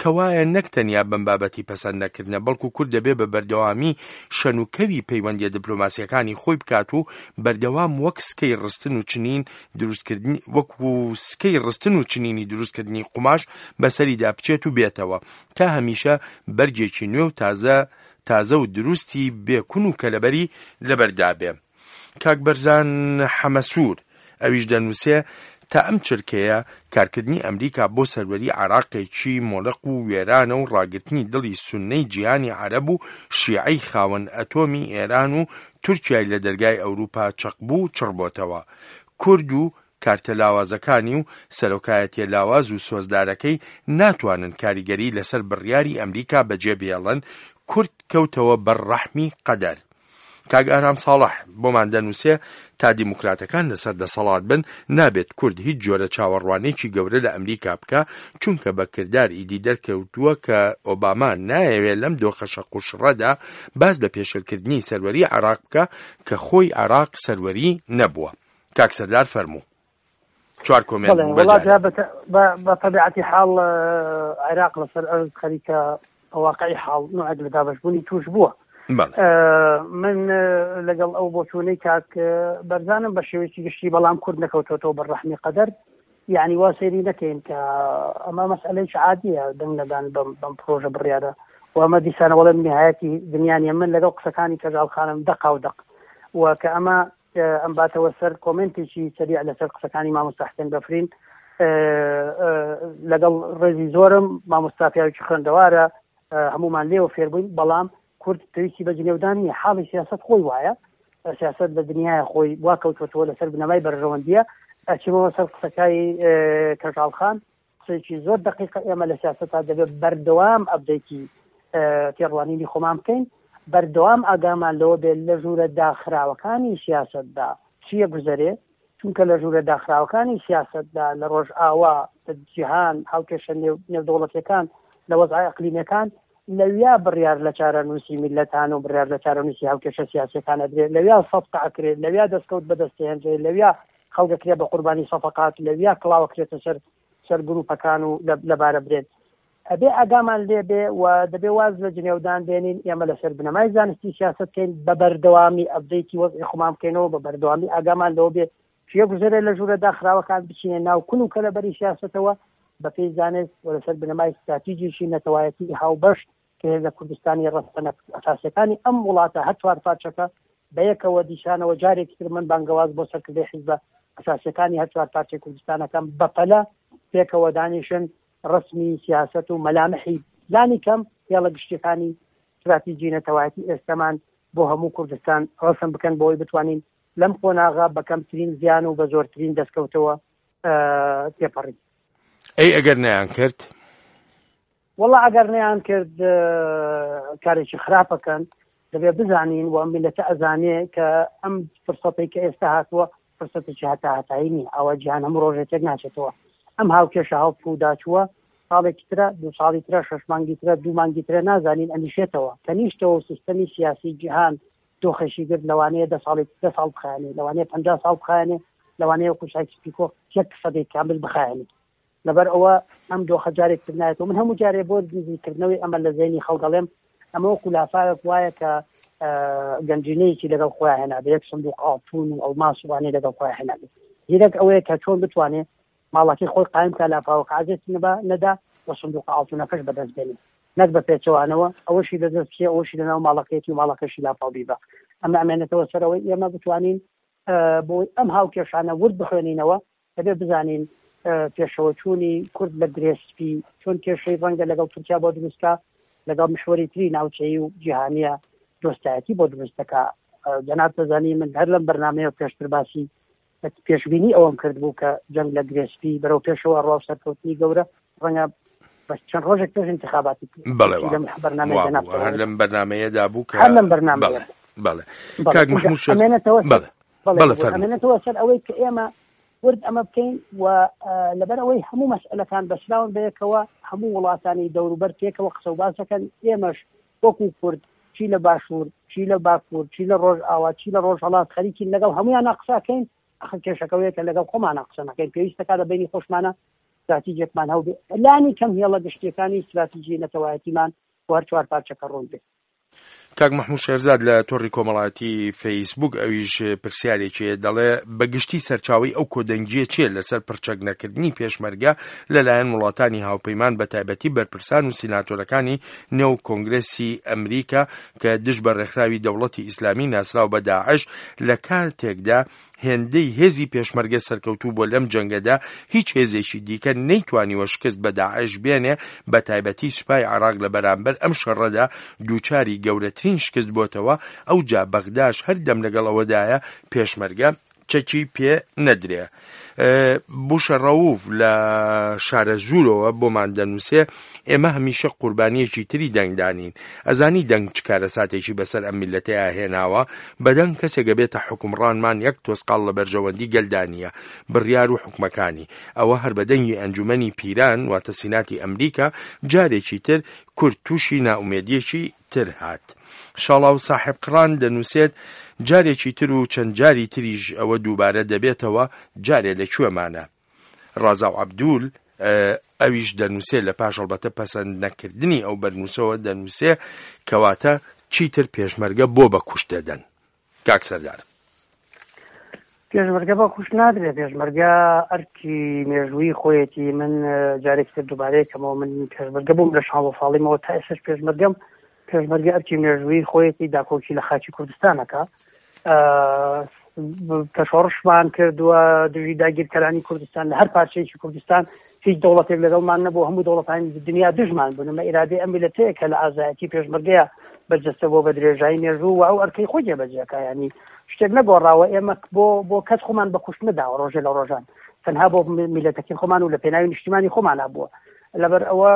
کەوایە نەک تەنیا بەم بابەتی پەسەند نەکردنە، بەڵکو کورد دەبێ بە بەردەوامی شەنوکەوی پەیوەندیە دیپلۆماسیەکانی خۆی بکات و بەردەوام وەک سکەی ڕستن و چنین دروستکردنی وەکو سکەی ڕستن و چنینی دروستکردنی قوماش بەسەریدا بچێت و بێتەوە تا هەمیشە بەرجێکی نوێ و تازە تازە و دروستی بێکون و کەلەبەری لەبەردا بێ. کاک بەرزان حەمەسوور ئەویش دەنووسێ تا ئەم چرکەیە کارکردنی ئەمریکا بۆ سەروەری عراقێکی مۆلق و وێرانە و ڕاگرتنی دڵی سوننەی جیهانی عەرەب و شیعەی خاوەن ئەتۆمی ئێران و تورکیای لە دەرگای ئەوروپا چەقبوو چڕبۆتەوە. کورد و کارتە لاوازەکانی و سەرۆکایەتیە لاواز و سۆزدارەکەی ناتوانن کاریگەری لەسەر بڕیاری ئەمریکا بەجێ بێڵن. کورد کەوتەوە بەر ڕەحمی قەدەر. کاک ئارام ساڵح بۆمان دەنووسێ تا دیموکراتەکان لەسەر دەسەڵات بن نابێت کورد هیچ جۆرە چاوەڕوانێکی گەورە لە ئەمریکا بکە، چونکە بە کردار ئیدی دەرکەوتووە کە ئۆباما نایەوێت لەم دۆخە شەق و شڕەدا باز لە پێشلکردنی سەروەری عێراق بکە کە خۆی عێراق سەروەری نەبووە. کاک سەردار فەرموو. چوار کۆمێنت بوو بەجارێ. بە تەبیعەتی حاڵ عێراق لەسەر ئەرز خەریکە واقعی حاڵ نوعێک لە دابەشبوونی توش بووە. من لەگەڵ ئەو بۆچوونەی کاک بەرزانم بە شێوەیەکی گشتی، بەڵام کورد نەکەوتۆتەوە بەر ڕەحمی قەدەر. یعنی وا سەیری نەکەین کە ئەمە مەسئلەیەکی عادیە دەنگ نەدان بەم پرۆژە بڕیارە و ئەمە دیسانە وەڵێ نهایەتی دنیا نیە. من لەگەڵ قسەکانی کەژاڵ خانم دەقا و دەق و کە ئەمە ئەم باتەوە سەر کۆمێنتێکی سەریع لەسەر قسەکانی مامۆستا حسێن بەفرین، لەگەڵ ڕێزی زۆرم مامۆستا پیاوێکی خوێندەوارە، هەمومان لێوە فێربووین، بەڵام کورد پێویستی بە جنێودان نییە. حاڵی سیاست خۆی وایە، سیاست لە دنیای خۆی وا کەوتوەتەوە لەسەر بنەمای بەرژەوەندیە. ئەچمەوە سەر قسەکای کەژاڵ خان، قسەیەکی زۆر دقیقە. ئێمە لە سیاسەتا دەبێت بەردەوام ئەبدەیتی تێڕوانینی خۆمان بکەین، بەردەوام ئاگامان لەوە بێت لە ژوورە داخراوەکانی سیاسەتدا چییە گوزەرێ، چونکە لە ژوورە داخراوەکانی سیاسەتدا لە ڕۆژئاوا، لە جیهان، هاوکێشە نێودەوڵەتیەکان، لە وەزعە ئەقلیمیەکان، لەویا بڕیار لە چارەنووسی میلەتان و بڕیار لە چارەنووسی هاوکێشە سیاسیەکان ئەدرێت، لەویا سەفقە ئەکرێت، لەویا دەستکەوت بەدەستهێنرێت، لەویا خەڵکەکرێت بە قوربانی سەفقات، لەویا کڵاوەکرێتە سەر سەر گروپەکان و لەبارە برێت. ئەبێ ئاگامان لێبێ و دەبێ واز لە جنێودان بێنین. ئێمە لەسەر بنەمای زانستی سیاست بکەین، بە بەردەوامی ئەبدەیتی وەزعی خۆمان بکەینەوە، بە بەردەوامی ئاگامان لەوە بێ چیە گوزەرێ لە ژوورە داخراوەکان، بچینە ناو کون و کەلەبەری سیاسەتەوە بەپێی زانست و لەسەر بنەمای ستراتیژیی نەتەوایەتی هاوبەش کە هێزە کوردستانی ڕەسەنە ئەساسیەکانی ئەم وڵاتە هەر چوار پارچەکە بەیەکەوە دیشانەوە. جارێکی تر من بانگەواز بۆ سەرکردەی حیزبە ئەساسیەکانی هەر چوار پارچەی کوردستانەکەم بەپەلە پێکەوە دانیشن، ڕسمی سیاست و مەلامحی لانی کەم هێڵە گشتیەکانی استراتیژی نەتەوایەتی ئێستەمان بۆ هەموو کوردستان ڕسم بکەن بۆی بتوانین لەم قۆناغە بە کەمترین زیان و بە زۆرترین دەستکەوتەوە تێپەڕین. ئەی ئەگەر نەیان کرد؟ وەڵا ئەگەر نەیان کرد کارێکی خراپەکەن. دەبێت بزانین و ئەم میلەتە ئەزانێ کە ئەم فرسەتەی کە ئێستا هاتووە فرسەتێکی هەتا هەتایی نییە، ئەوە جیهان هەموو ڕۆژێک تێک ناچێتەوە. ئەم هاوکێشە هەڵپووداچووە ساڵێکی ترە، دوو ساڵی ترە، شەش مانگی ترە، دوو مانگی ترە، نازانین ئەنیشێتەوە. کە نیشتەوە سیستەمی سیاسی جیهان دۆخێکی گرت، لەوانەیە دە ساڵی دە ساڵ بخایەنێ، لەوانەیە پەنجا ساڵ بخایەنێ، لەوانەیە وەکو سایکس پیکۆ یەک سەدەی کامل بخایەنێ. لەبەر ئەوە ئەم دۆخە جارێک تر نایەتەوە. من هەموو جارێ بۆ نزیکردنەوەی ئەمە لە زەینی خەڵک دەڵێم ئەمە وەکو لافاوێک وایە کە گەنجینەیەکی لەگەڵ خۆیان هێنابێ، یەک سندوق ئاڵتون و ئەڵماس وانەی لەگەڵ خۆیان هێنابێ. زیرەک ئەوەیە کە چۆن بتوانێ ماڵەکەی خۆی قایم کە لافاوەکە عەزێت نەبا نەدا و سندوق ئاڵتونەکەش بەدەست بێنێ، نەک بە پێچەوانەوە ئەوەشی لەدەست بچێ، ئەوەشی لەناو ماڵەکەیەتی و ماڵەکەشی لافاو بیبا. ئەمە ئەمێنێتەوە سەرەوەی ئێمە بتوانین بۆی ئەم هاوکێشانە ورد بخوێنینەوە، دەبێ بزانین پێشەوەچوونی کورد لە گرێ سپی چۆن کێشەی ڕەنگە لەگەڵ تورکیا بۆ دروستکا، لەگەڵ محوەری تری ناوچەیی و جیهانیە دۆستایەتی بۆ دروست دەکا. جەناب دەزانی من هەر لەم بەرنامەیە پێشتر باسی پێشبینی ئەوەم کرد بوو کە جەنگ لە گرێ سپی بەرەو پێشەوە ڕوا و سەرکەوتنی گەورە ڕەنگە بەس چەند ڕۆژێک پێش انتخاباتی بەڵێ هەر لەم بەرنامەیەدا بوو کە هەر لەم بەرنامەیە. بەڵێ کاک مەحموود شێخ، بەڵێ بەڵێ ئەمێنێتەوە سەر ئەوەی کە ئێمە ورد ئەمە بکەین و لەبەر ئەوەی هەموو مەسئلەکان بەسراون بەیەکەوە، هەموو وڵاتانی دەوروبەر پێکەوە قسە و باس دەکەن. ئێمەش وەکو کورد چی لە باشوور، چی لە باکوور، چی لە ڕۆژئاوا، چی لە ڕۆژهەڵات خەریکین لەگەڵ هەمویانە قسەکەین. ئەخر کێشەکەوەیە کە لەگەڵ خۆمانە قسە نەکەین، پێویستەکە لە بینی خۆشمانە استراتیژێکمان هەبێ، لانی کەم هێڵە گشتیەکانی استراتیژی نەتەوایەتیمان بۆ هەر چوار پارچەکە ڕوون بێ. کاک مەحموود شێرزاد لە تۆڕی کۆمەڵایەتی فەیسبوک ئەویش پرسیارێکی دەڵێ بەگشتی سەرچاوی ئەو کۆدەنگیە چییە لەسەر پرچەک نەکردنی پێشمەرگە لەلایەن وڵاتانی هاوپەیمان بە تایبەتی بەرپرسان و سیناتۆرەکانی نێو کۆنگرسی ئەمریکا کە دژ بە ڕێکخراوی دەوڵەتی ئیسلامی ناسراو بە داعش، لە کاتێکدا هێندەی هێزی پێشمەرگە سەرکەوتوو بۆ لەم جەنگەدا هیچ هێزێکی دیکە نەیتوانیوە شکست بە داعش بێنێ، بە تایبەتی سوپای عێراق لە بەرامبەر ئەم شەڕەدا دووچاری گەورەترین شکست بۆتەوە. ئەو جا بەغداش هەردەم لەگەڵ ئەوەدایە پێشمەرگە چەکی پێ نەدرێ. بوشە ڕەوف لە شارەزوورەوە بۆمان دەنووسێ ئێمە هەمیشە قوربانیەکی تری دەنگدانین، ئەزانی دەنگ چ کارەساتێکی بەسەر ئەم میلەتەیە هێناوە، بەدەنگ کەسێک بێتە حکومڕانمان یەک تۆسقاڵ لە بەرژەوەندی گەلدانیە بڕیار و حکومەکانی، ئەوە هەر بەدەنگی ئەنجومەنی پیران واتە سیناتی ئەمریکا جارێکی تر کورد تووشی ناومێدیەکی تر هات. شاڵاو ساحب قڕان دەنووسێت جارێکی تر و چەند جاری تریش ئەوە دووبارە دەبێتەوە، جارێ لەکوێمانە. ڕازاو عەبدول ئەویش دەنووسێ لە پاش هەڵبەتە پەسەند نەکردنی ئەو بەرنووسەوە دەنووسێ کەواتە چیتر پێشمەرگە بۆ بە کوشت دەدەن. کاک سەردار، پێشمەرگە بە کوشت نادرێت، پێشمەرگە ئەرکی مێژووی خۆیەتی. من جارێکی تر دووبارەیەکەمەوە، من پێشمەرگە بووم لە شانزە ساڵیمەوە تا ئێستاش پێشمەرگەم. پێشمەرگە ئەرکی مێژووی خۆیەتی داکۆکی لە خاکی کوردستانەکە. کە شۆڕشمان کردووە دژی داگیرکەرانی کوردستان لە هەر پارچەیەکی کوردستان هیچ دەوڵەتێک لەگەڵمان نەبوو، هەموو دەوڵەتانی دنیا دژمان بوون. ئەمە ئیرادەی ئەم میللەتەیە کە لە ئازایەتی پێشمەرگەیە بەرجەستە بۆ بە درێژایی مێژوو و ئەو ئەرکەی خۆی جێبەجێکا. یعنی شتێک نەگۆڕاوە، ئێمە بۆ بۆ کەس خۆمان بە کوشت نەداوە ڕۆژێ لە ڕۆژان، تەنها بۆ میللەتەکەی خۆمان و لە پێناوی نیشتیمانی خۆمانە بووە. لەبەر ئەوە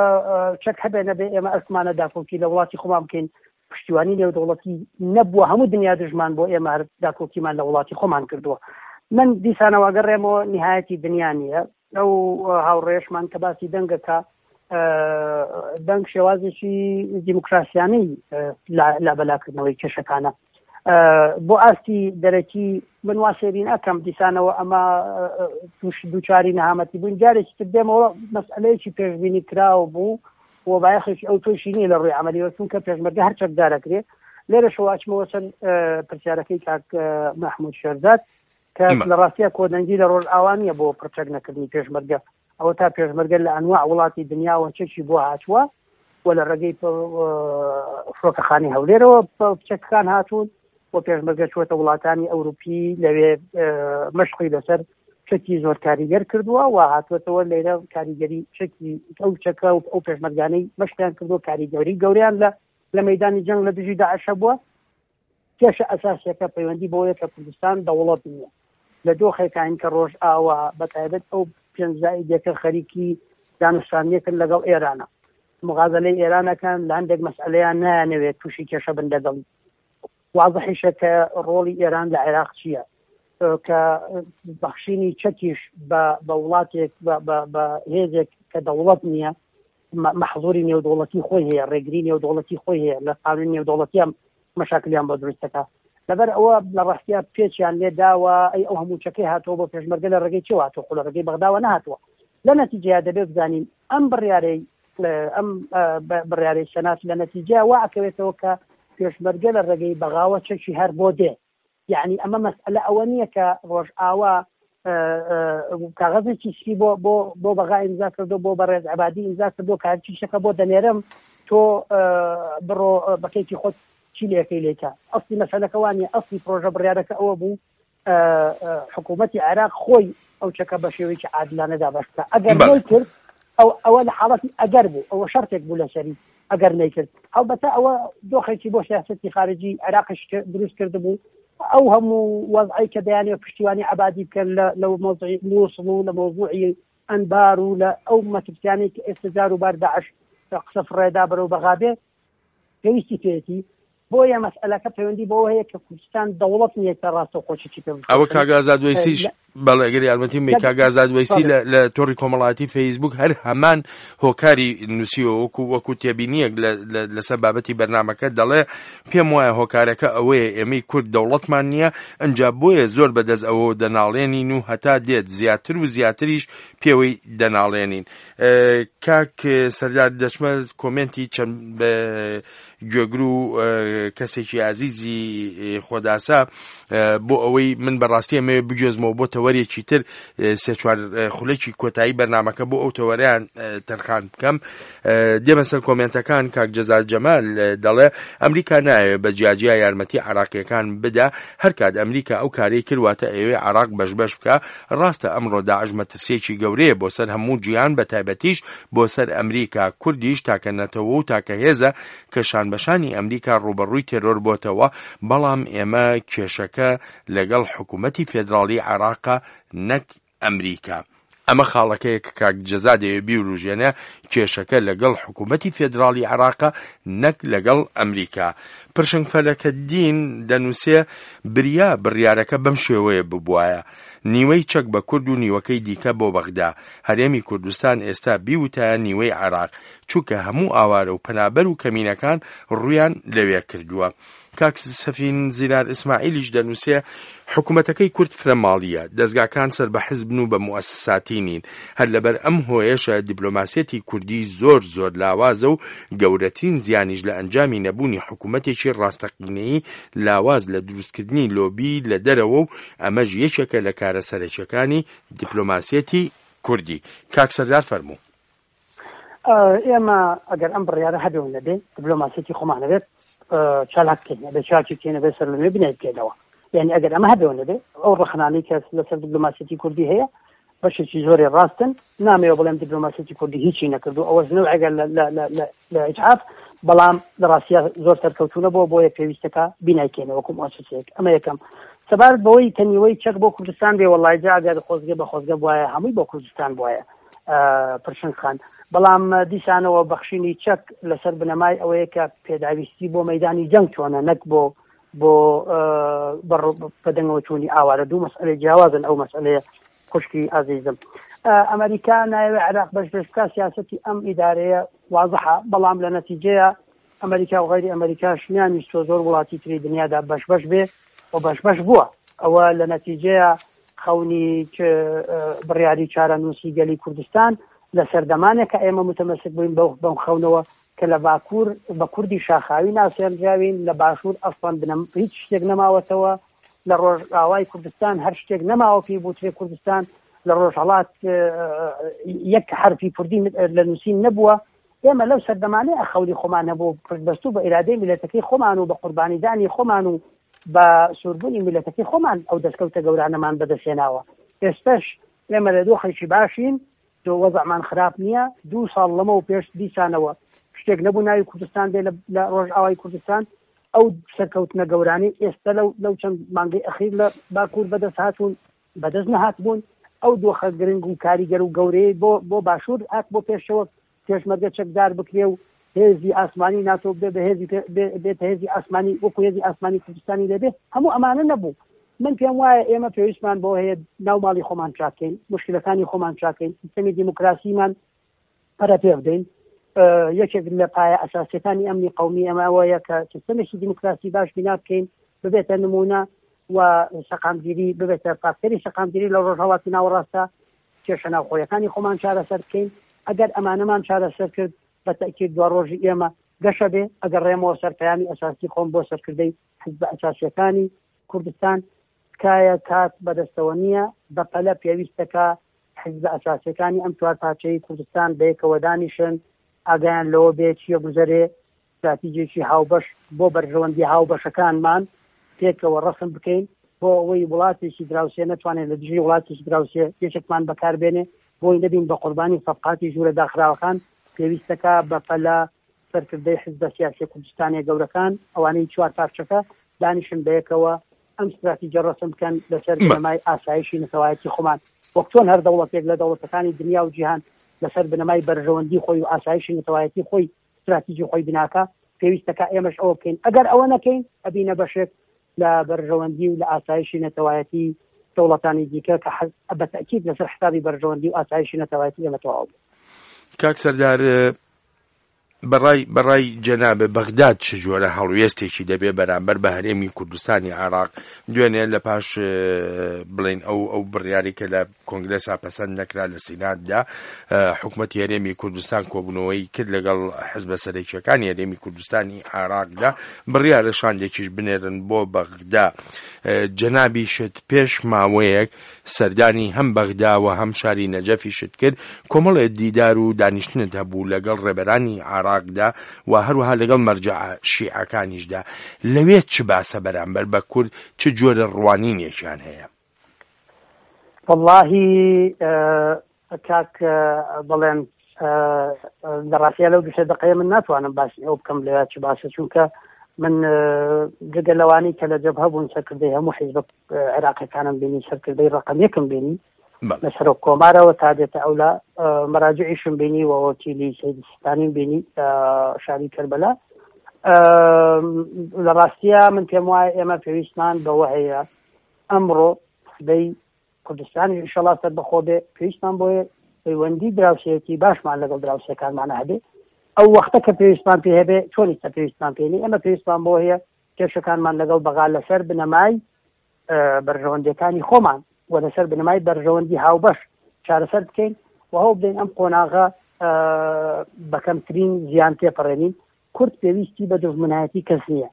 چەک هەبێ نەبێ ئێمە ئەرکمانە داکۆکی لە وڵاتی خۆمان بکەین. پشتیوانی نێودەوڵەتی نەبووە، هەموو دنیا دژمان بۆ ئێمە هەر داکۆکیمان لە وڵاتی خۆمان کردووە. من دیسانەوە گەڕێمەوە نهایەتی دنیا نییە. ئەو هاوڕێشمان کە باسی دەنگەکە، دەنگ شێوازێکی دیموکراسیانەی لابەلاکردنەوەی کێشەکانە بۆ ئاستی دەرەکی. من وا سێرین ئەکەم دیسانەوە ئەمە توش دووچاری نەهامەتی بووین. جارێکی تر دێمەوە مەسئلەیەکی پێشبینی کراوە بوو و بایەخێکی ئەو تۆشی نییە لە ڕووی عەمەلیەوە، چونکە پێشمەرگە هەر چەکدارەکرێ. لێرەشەوە ئەچمەوە سەر پرسیارەکەی کاک مەحموود شێرزاد کە لە ڕاستیە کۆدەنگی لە ڕۆژئاوا نییە بۆ پرچەک نەکردنی پێشمەرگە. ئەوە تا پێشمەرگە لە ئەنواع وڵاتی دنیاوە چەکی بۆ هاتووە و لە ڕێگەی فڕۆکەخانەی هەولێرەوە چەکەکان هاتوون و پێشمەرگە چووەتە وڵاتانی ئەوروپی لەوێ مەشقی لەسەر چەکی زۆر کاریگەر کردووە و هاتووەتەوە لێرە کاریگەری چەکی ئەو چەکە و ئەو پێشمەرگانەی مەشقیان کردووە کاریگەری گەوریان لە لە مەدانی جەنگ لە دژی داعش بووە. کێشە ئەساسیەکە پەیوەندی بۆیە کە کوردستان دەوڵەت نییە. لە دۆخێکین کە ڕۆژ ئاوا بە تایبەت ئەو پێنج زائیدەکە خەریکی دانوستانیەکن لەگەڵ ئێرانە، مغازلەی ئێرانەکان لە هەندێک مەسئلەیان نایانەوێت تووشی کێشە بن لەگەڵی. واضحیشە کە ڕۆڵی ئێران لە عێراق چییە، کە بەخشینی چەکیش بە وڵاتێک بە هێزێک کە دەوڵەت نییە مەحزوری نێودەوڵەتی خۆی هەیە، ڕێگری نێودەوڵەتی خۆی هەیە، لە قانونی نێودەوڵەتیان مەشاکلیان بۆ دروست دەکا. لەبەر ئەوە لە ڕاستیا پێچیان لێ داوە، ئەی ئەو هەموو چەکەی هاتووە بۆ پێشمەرگە لە ڕێگەی چێوە هاتووە؟ خۆ لە ڕێگەی بەغداوە نەهاتووە. لە نەتیجەیە دەبێت بزانین ئەم بڕیارەی ئەم بڕیارەی سەنات لە نەتیجە وا ئەکەوێتەوە کە پێشمەرگە لە ڕێگەی بەغاوە چەکی هەر بۆ دێ. یعنی ئەمە مەسئلە ئەوە نییە کە ڕۆژئاوا کاغەزێکی سپی بۆ بۆ بۆ بەغا ئیمزا کردو، بۆ بەڕێز عەبادی ئیمزا کردو، کە هەرچی شتەکە بۆ دەنێرم تۆ بڕۆ بەکەیتی خۆت چی لێکەی لێکە. ئەسلی مەسەلەکە وانیە، ئەسلی پرۆژە بڕیارەکە ئەوە بوو حکوومەتی عێراق خۆی ئەو چەکە بە شێوەیەکی عادلانە دابەش بکە. ئەگەر نەیکرد ئەو ئەوە لە حاڵەتی ئەگەر بوو، ئەوە شەرتێک بوو لەسەری ئەگەر نەیکرد. هەڵبەتە ئەوە دۆخێکی بۆ سیاسەتی خارجی عێراقیش دروست کردبوو. ئەو هەموو وەزعی کە دەیانەوێت پشتیوانی عەبادی بکەن لە مەوزوعی مووسڵ و لە مەوزوعی ئەنبار و لە ئەو مەترسیانەی کە ئێستا جار و بار داعش قسە فڕێدا بەرەو بەغا بێ پێویستی پێیەتی. بۆیە مەسئلەکە پەیوەندی بەوە هەیە کە کوردستان دەوڵەت نییە کە ڕاستەوخۆ چی پێ بکات. ئەوە کاک ئازاد وەیسیش بەڵێ ئەگەر یارمەتیم بێ، کاک ئازاد وەیسی لە تۆڕی کۆمەڵایەتی فەیسبوک هەر هەمان هۆکاری نووسیوە وەکو وەکو تێبینیەک لەسەر بابەتی بەرنامەکە دەڵێ پێم وایە هۆکارەکە ئەوەیە ئێمەی کورد دەوڵەتمان نییە، ئەنجا بۆیە زۆر بەدەست ئەوە دەناڵێنین و هەتا دێت زیاتر و زیاتریش پێوەی دەناڵێنین. کاک سەردار دەچمە کۆمێنتی چەند گوێگر و کەسێکی ئازیزی خۆداسا بۆ ئەوەی من بەڕاستی ئەمەوێ بگوێزمەوە بۆ تەوەرێکی تر، سێ چوار خولەکی کۆتایی بەرنامەکە بۆ ئەو تەوەریان تەرخان بکەم. دێمە سەر کۆمێنتەکان. کاک جەزاد جەمال دەڵێ ئەمریکا نایەوێ بە جیاجیا یارمەتی عراقیەکان بدا، هەرکات ئەمریکا ئەو کارەی کردواتە ئەوێ عراق بەش بەش بکە. ڕاستە ئەمڕۆ داعش مەترسیەکی گەورەیە بۆ سەر هەموو جیهان، بە تایبەتیش بۆ سەر ئەمریکا. کوردیش تاکە نەتەوە و تاکە هێزە کە شانبەشانی ئەمریکا ڕووبەڕووی تێرۆر بۆتەوە، بەڵام ئێمە کێشەکە لەگەڵ حکوومەتی فێدراڵی عێراقە نەک ئەمریکا. ئەمە خاڵەکەیە کە کاک جەزا دەیەوێ بیوروژێنێ، کێشەکە لەگەڵ حکوومەتی فێدراڵی عێراقە نەک لەگەڵ ئەمریکا. پرشنگ فەلەکەدین دەنووسێ بریا بڕیارەکە بەم شێوەیە ببوایە، نیوەی چەک بە کورد و نیوەکەی دیکە بۆ بەغدا. هەرێمی کوردستان ئێستا بیوتایە نیوەی عێراق، چونکە هەموو ئاوارە و پەنابەر و کەمینەکان ڕوویان لەوێ کردووە. کاک سەفین زینار ئیسماعیلیش دەنووسێ حکوومەتەکەی کورد فرە ماڵیە، دەزگاکان سەر بە حزبن و بە موئەسساتی نین. هەر لەبەر ئەم هۆیەشە دیپلۆماسیەتی کوردی زۆر زۆر لاوازە و گەورەترین زیانیش لە ئەنجامی نەبوونی حکوومەتێکی ڕاستەقینەیی لاواز لە دروستکردنی لۆبی لە دەرەوە و ئەمەش یەکێکە لە کارە سەرەکیەکانی دیپلۆماسیەتی کوردی. کاک سەردار فەرموو. ئێمە ئەگەر ئەم بڕیارە هەبێ و نەبێ دیپلۆماسیەتی خۆمان نەبێت چالاک بکەین، ئەبێ چاکی بکەین، ئەبێ سەر لەنوێ بنای بکەینەوە. یعنی ئەگەر ئەمە هەبێ و نەبێ ئەو ڕەخنانەی کە لەسەر دیپلۆماسیەتی کوردی هەیە بەشێکی زۆری ڕاستن. نامەوێ بڵێم دیپلۆماسیەتی کوردی هیچی نەکردو، ئەوەش نەوعێکە لە ئیجحاف، بەڵام لە ڕاستیە زۆر سەرکەوتوونە بۆ بۆیە پێویستەکە بینایکەینەوە وەکو مؤسسەیەک. ئەمە یەکەم. سەبارەت بەوەی کە نیوەی چەک بۆ کوردستان بێ، وەڵای جا ئەگەر خۆزگە بە خۆزگە بوایە هەمووی بۆ کوردستان بوایە پرشنگ خان. بەڵام دیسانەوە بەخشینی چەک لەسەر بنەمای ئەوەیە کە پێداویستی بۆ مەدانی جەنگ چۆنە، نەک بۆ بۆ بەدەنگەوە چوونی ئاوارە. دوو مەسئلەی جیاوازن ئەو مەسئلەیە خوشکی ئازیزم. ئەمریکا نایەوێ عێراق بەش بەش بکا، سیاسەتی ئەم ئیدارەیە وازحە، بەڵام لە نەتیجەیە ئەمریکا و غەیری ئەمریکاش نیانویستوە زۆر وڵاتی تری دنیادا بەش بەش بێ و بەش بەش بووە. ئەوە لە نەتیجەیە خەونی بڕیاری چارەنووسی گەلی کوردستان لە سەردەمانێک کە ئێمە متەمەسک بووین بەم خەونەوە کە لە باکوور بە کوردی شاخاوی ناسێنراوین، لە باشوور ئەسڵەن بنەم هیچ شتێک نەماوەتەوە، لە ڕۆژئاوای کوردستان هەر شتێک نەماوە پێی بوترێ کوردستان، لە ڕۆژهەڵات یەک حرفی کوردی لە نووسین نەبووە. ئێمە لەو سەردەمانەیە خەونی خۆمان هەبوو پشتبەستوو بە ئیرادەی میللەتەکەی خۆمان و بە قوربانیدانی خۆمان و بە سووربوونی میللەتەکەی خۆمان ئەو دەستکەوتە گەورانەمان بەدەستهێناوە. ئێستاش ئێمە لە دۆخێکی باشین، دۆ وەزعمان خراپ نییە. دوو ساڵ لەمە و پێش دیسانەوە شتێک نەبوو ناوی کوردستان بێ لە ڕۆژئاوای کوردستان. ئەو سەرکەوتنە گەورانەی ئێستا لەو چەند مانگەی ئەخیر لە باکوور بەدەست هاتوون بەدەست نەهاتبوون. ئەو دۆخە گرنگ و کاریگەر و گەورەیە بۆ بۆ باشوور هات بۆ پێشەوە پێشمەرگە چەکدار بکرێ و هێزی ئاسمانی ناتۆ بێ بە هێزی بێتە هێزی ئاسمانی وەکو هێزی ئاسمانی کوردستانی لێبێ. هەموو ئەمانە نەبوو. من پێم وایە ئێمە پێویستمان بۆ هەیە ناو ماڵی خۆمان چاکەین، مشکلەکانی خۆمان چاکەین، سیستەمی دیموکراسیمان پەرە پێ بدەین، یەکێک لە پایە ئەساسیەکانی ئەمنی قەومی ئەمە ئەوەیە کە سیستەمێکی دیموکراسی باش بینا بکەین، ببێتە نمونە و سەقامگیری، ببێتە فاکتەری سەقامگیری لە ڕۆژهەڵاتی ناوەڕاستە، کێشە ناوخۆیەکانی خۆمان چارەسەر بکەین. ئەگەر ئەمانەمان چارەسەر کرد بە تەئکید دوا ڕۆژی ئێمە گەشە بێ. ئەگەر ڕێمەوە سەر پەیامی ئەساسی خۆم بۆ سەرکردەی حزب ئەساسیەکانی کوردستان، تکایە کات بەدەستەوە نییە، بەپەلە پێویستەکە حزب ئەساسیەکانی ئەم چوار پارچەی کوردستان بەیەکەوە دانیشن، ئاگایان لەوە بێ چییە گوزەرێ، استراتیجێکی هاوبەش بۆ بەرژەوەندی هاوبەشەکانمان پێکەوە ڕەسم بکەین بۆ ئەوەی وڵاتێکی دراوسێ نەتوانێت لە دژی وڵاتێکی دراوسێ یەکێکمان بەکاربێنێ، بۆی نەبین بە قوربانی سەفقاتی ژوورە داخراوەکان. پێویستەکە بەپەلە سەرکردەی حزبە سیاسیە کوردستانیە گەورەکان ئەوانەی چوار پارچەکە دانیشن بەیەکەوە ئەم استراتیجە ڕەسم بکەن لەسەر بنەمای ئاسایشی نەتەوایەتی خۆمان، وەک چۆن هەر دەوڵەتێک لە دەوڵەتەکانی دنیا و جیهان لەسەر بنەمای بەرژەوەندی خۆی و ئاسایشی نەتەوایەتی خۆی استراتیجی خۆی بناکە، پێویستەکە ئێمەش ئەوە بکەین. ئەگەر ئەوە نەکەین ئەبینە بەشێک لە بەرژەوەندی و لە ئاسایشی نەتەوایەتی دەوڵەتانی دیکە کە بە تەئکید لەسەر حسابی بەرژەوەندی و ئاسایشی نەتەوایەتی ئێمە تەواو بوو. کاک سەردار، بەڕای بەڕای جەنابێ بەغداد چ جۆرە هەڵوێستێکی دەبێ بەرامبەر بە هەرێمی کوردستانی عێراق؟ دوێنێ لە پاش بڵێن ئەو ئەو بڕیاری کە لە کۆنگرێسا پەسەند نەکرا لە سیناتدا، حکوومەتی هەرێمی کوردستان کۆبوونەوەی کرد لەگەڵ حزبە سەرەکیەکانی هەرێمی کوردستانی عێراقدا، بڕیارە شاندێکیش بنێرن بۆ بەغدا. جەنابیشت پێش ماوەیەک سەردانی هەم بەغدا و هەم شاری نەجەفیشت کرد، کۆمەڵێ دیدار و دانیشتنت هەبوو لەگەڵ ڕێبەرانی عێراقدا و هەروەها لەگەڵ مەرجەع شیعەکانیشدا. لەوێ چ باسە بەرامبەر بە کورد، چ جۆرە ڕوانینێکیان هەیە؟ واللهی کاک بڵێن لە ڕاستیە لەو دوو سێ دەقەیە من ناتوانم باسی ئەو بکەم لەوێ چ باسە، چونکە من جگە لەوانەی کە لە جەبهە بوون سەرکردەی هەموو حیزبە عێراقیەکانم بینی، سەرکردەی ڕەقەم یەکم بینی لە سەرۆک کۆمارەوە تا دێتە ئەولا مەراجعیشم بینی و وەکیلی سەید سیستانیم بینی شاری کەربەلا. لە ڕاستیە من پێم وایە ئێمە پێویستمان بەوە هەیە ئەمڕۆ سبەی کوردستانی ئینشەڵا سەربەخۆ بێ، پێویستمان بۆیە پەیوەندی دراوسێتی باشمان لەگەڵ دراوسێکانمانە هەبێ. ئەو وەختە کە پێویستمان پێ هەبێ چۆن ئێستا پێویستمان پێ نییە، ئێمە پێویستمان بۆ هەیە کێشەکانمان لەگەڵ بەغا لەسەر بنەمای بەرژەوەندیەکانی خۆمان و لەسەر بنەمای بەرژەوەندی هاوبەش چارەسەر بکەین و هەوڵ بدەین ئەم قۆناغە بە کەمترین زیان تێپەڕێنین. کورد پێویستی بە دوژمنایەتی کەس نییە،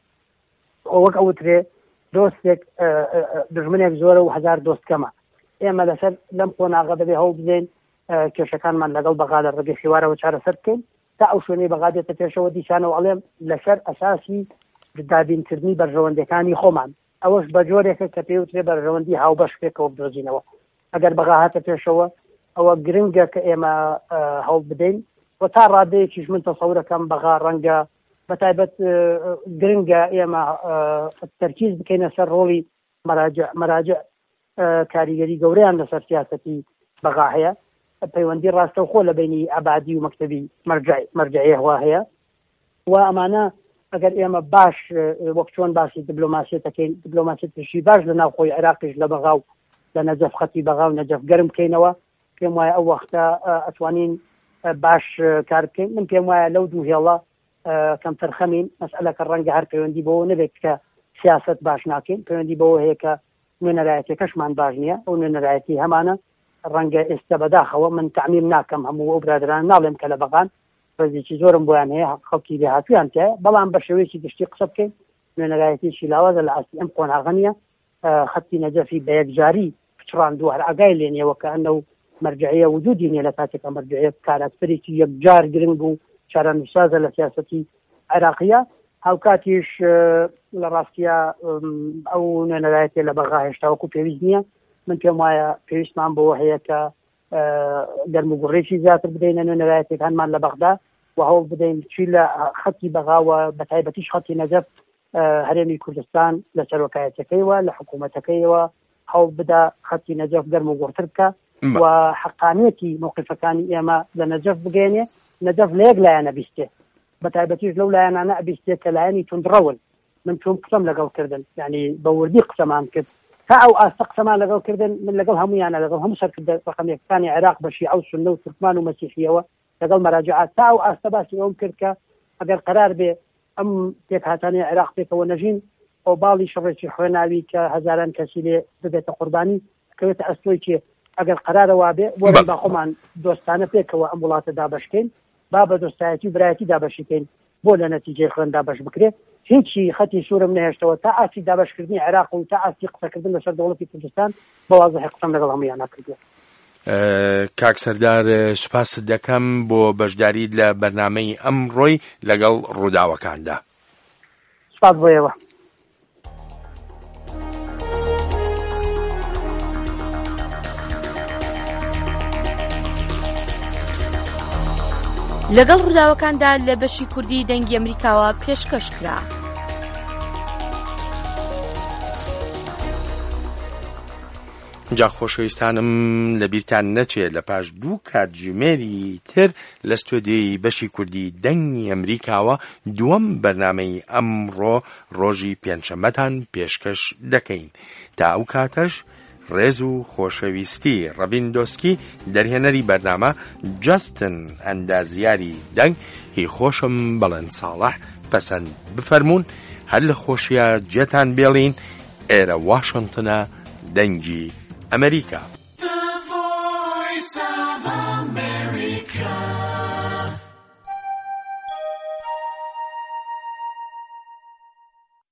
وەک ئەوترێ دۆستێک دژمنێک زۆرە و هەزار دۆست کەمە. ئێمە لەسەر لەم قۆناغە دەبێ هەوڵ بدەین کێشەکانمان لەگەڵ بەغا لە ڕێگەی حیوارەوە چارەسەر بکەین تا ئەو شوێنەی بەغا دێتە پێشەوە. دیسانەوە ئەڵێم لەسەر ئەساسی دابینکردنی بەرژەوەندیەکانی خۆمان، ئەوەش بە جۆرێکە کە پێوترێ بەرژەوەندی هاوبەش پێکەوە بدۆزینەوە. ئەگەر بەغا هاتە پێشەوە ئەوە گرنگە کە ئێمە هەوڵ بدەین و تا ڕادەیەکیش من تەسەورەکەم بەغا ڕەنگە بە تایبەت گرنگە ئێمە تەرکیز بکەینە سەر ڕۆڵی مەراجع. مەراجع کاریگەری گەورەیان لەسەر سیاسەتی بەغا هەیە، پەیوەندی ڕاستەوخۆ لە بینی عەبادی و مەکتەبی مەرجعیەوە هەیە و ئەمانە ئەگەر ئێمە باش وەک چۆن باسی دیبلۆماسیەتەکەین، دیبلۆماسیەتێکی باش لە ناوخۆی عێراقیش لە بەغا و لە نەجەف خەتی بەغا و نەجەف گەرم بکەینەوە، پێم وایە ئەو وەختە ئەتوانین باش کار بکەین. من پێم وایە لەو دوو هێڵە کەمتر خەمین. مەسئلەکە ڕەنگە هەر پەیوەندی بەوە نەبێت کە سیاست باش ناکەین، پەیوەندی بەوە هەیە کە نوێنەرایەتیەکەشمان باش نییە. ئەو نوێنەرایەتی هەمانە ڕەنگە ئێستا بەداخەوە من تەعمیم ناکەم، هەموو ئەو برادران ناڵێم کە لە بەغان ڕێزێکی زۆرم بۆیان هەیە، خەڵکی لێهاتوویان تایە، بەڵام بە شێوەیەکی گشتی قسە بکەین نوێنەرایەتیەکی لاوازە لە ئاستی ئەم قۆناغە نییە. خەتی نەجەفی بە یەکجاری پچڕاندووە، هەر ئاگای لێ نییە وەکە ئەنە و مەرجعیە وجودی نییە لە کاتێکە مەرجعیە کاراکتەرێکی یەکجار گرنگ و چارەنووسازە لە سیاسەتی عێراقیە. هاوکاتیش لە ڕاستیە ئەو نوێنەرایەتیە لە بەغا هێشتا وەکو پێویست نییە. من پێم وایە پێویستمان بەوە هەیە کە گەرم و گوڕێکی زیاتر بدەینە نوێنەرایەتیەکانمان لە بەغدا و هەوڵ بدەین چی لە خەتی بەغاوە بە تایبەتیش خەتی نەجەف هەرێمی کوردستان لە سەرۆکایەتەکەیەوە لە حکوومەتەکەیەوە هەوڵ بدا خەتی نەجەف گەرم و گوڕتر بکە و حەقانیەتی موقفەکانی ئێمە لە نەجەف بگەێنێ. نەجەف لە یەک لایەنە بیستێ، بە تایبەتیش لەو لایەنانە ئەبیستێ کە لایەنی توندڕەون. من چۆن قسەم لەگەڵ کردن، یعنی بە وردی قسەمان کرد تا ئەو ئاستە قسەمان لەگەڵ کردن، من لەگەڵ هەمویانە لەگەڵ هەموو سەرکردە ڕەقەمیەکانی عێراق بە شیعە و سوننە و تورکمان و مەسیحیەوە لەگەڵ مەراجعات تا ئەو ئاستە باسی ئەوم کرد کە ئەگەر قەرار بێ ئەم پێکهاتانەی عێراق پێکەوە نەژین، ئۆباڵی شەڕێکی خوێناوی کە هەزاران کەسی لێ ببێتە قوربانی کەوێتە ئەستۆی کێ؟ ئەگەر قەرارە وابێ وەرن با خۆمان دۆستانە پێکەوە ئەم وڵاتە دابەشکەین، با بە دۆستایەتی و برایەتی دابەشیکەین، بۆ لە نەتیجەی خوێن دابەش بکرێ. هیچی خەتی سوورم نەهێشتەوە تا ئاستی دابەشکردنی عێراق و تا ئاستی قسەکردن لەسەر دەوڵەتی کوردستان بە وازحی قسەم لەگەڵ هەموویانا کردووە. کاک سەردار، سوپاست دەکەم بۆ بەشداریت لە بەرنامەی ئەمڕۆی لەگەڵ ڕووداوەکاندا. سوپاس بۆ ئێوە. لەگەڵ ڕووداوەکاندا لە بەشی کوردی دەنگی ئەمریکاوە پێشکەش کرا. جا خۆشەویستانم لەبیرتان نەچێت لە پاش دوو کاتژمێری تر لە ستۆدیۆی بەشی کوردی دەنگی ئەمریکاوە دووەم بەرنامەی ئەمڕۆ ڕۆژی پێنجشەممەتان پێشکەش دەکەین. تا ئەو کاتەش ڕێز و خۆشەویستی ڕەبین دۆسکی دەرهێنەری بەرنامە، جاستن ئەندازیاری دەنگ، هی خۆشم بەڵێن ساڵح پەسەند بفەرمونون. هەر لە خۆشیە جێتان بێڵین. ئێرە واشنگتنە، دەنگی ئەمریکا.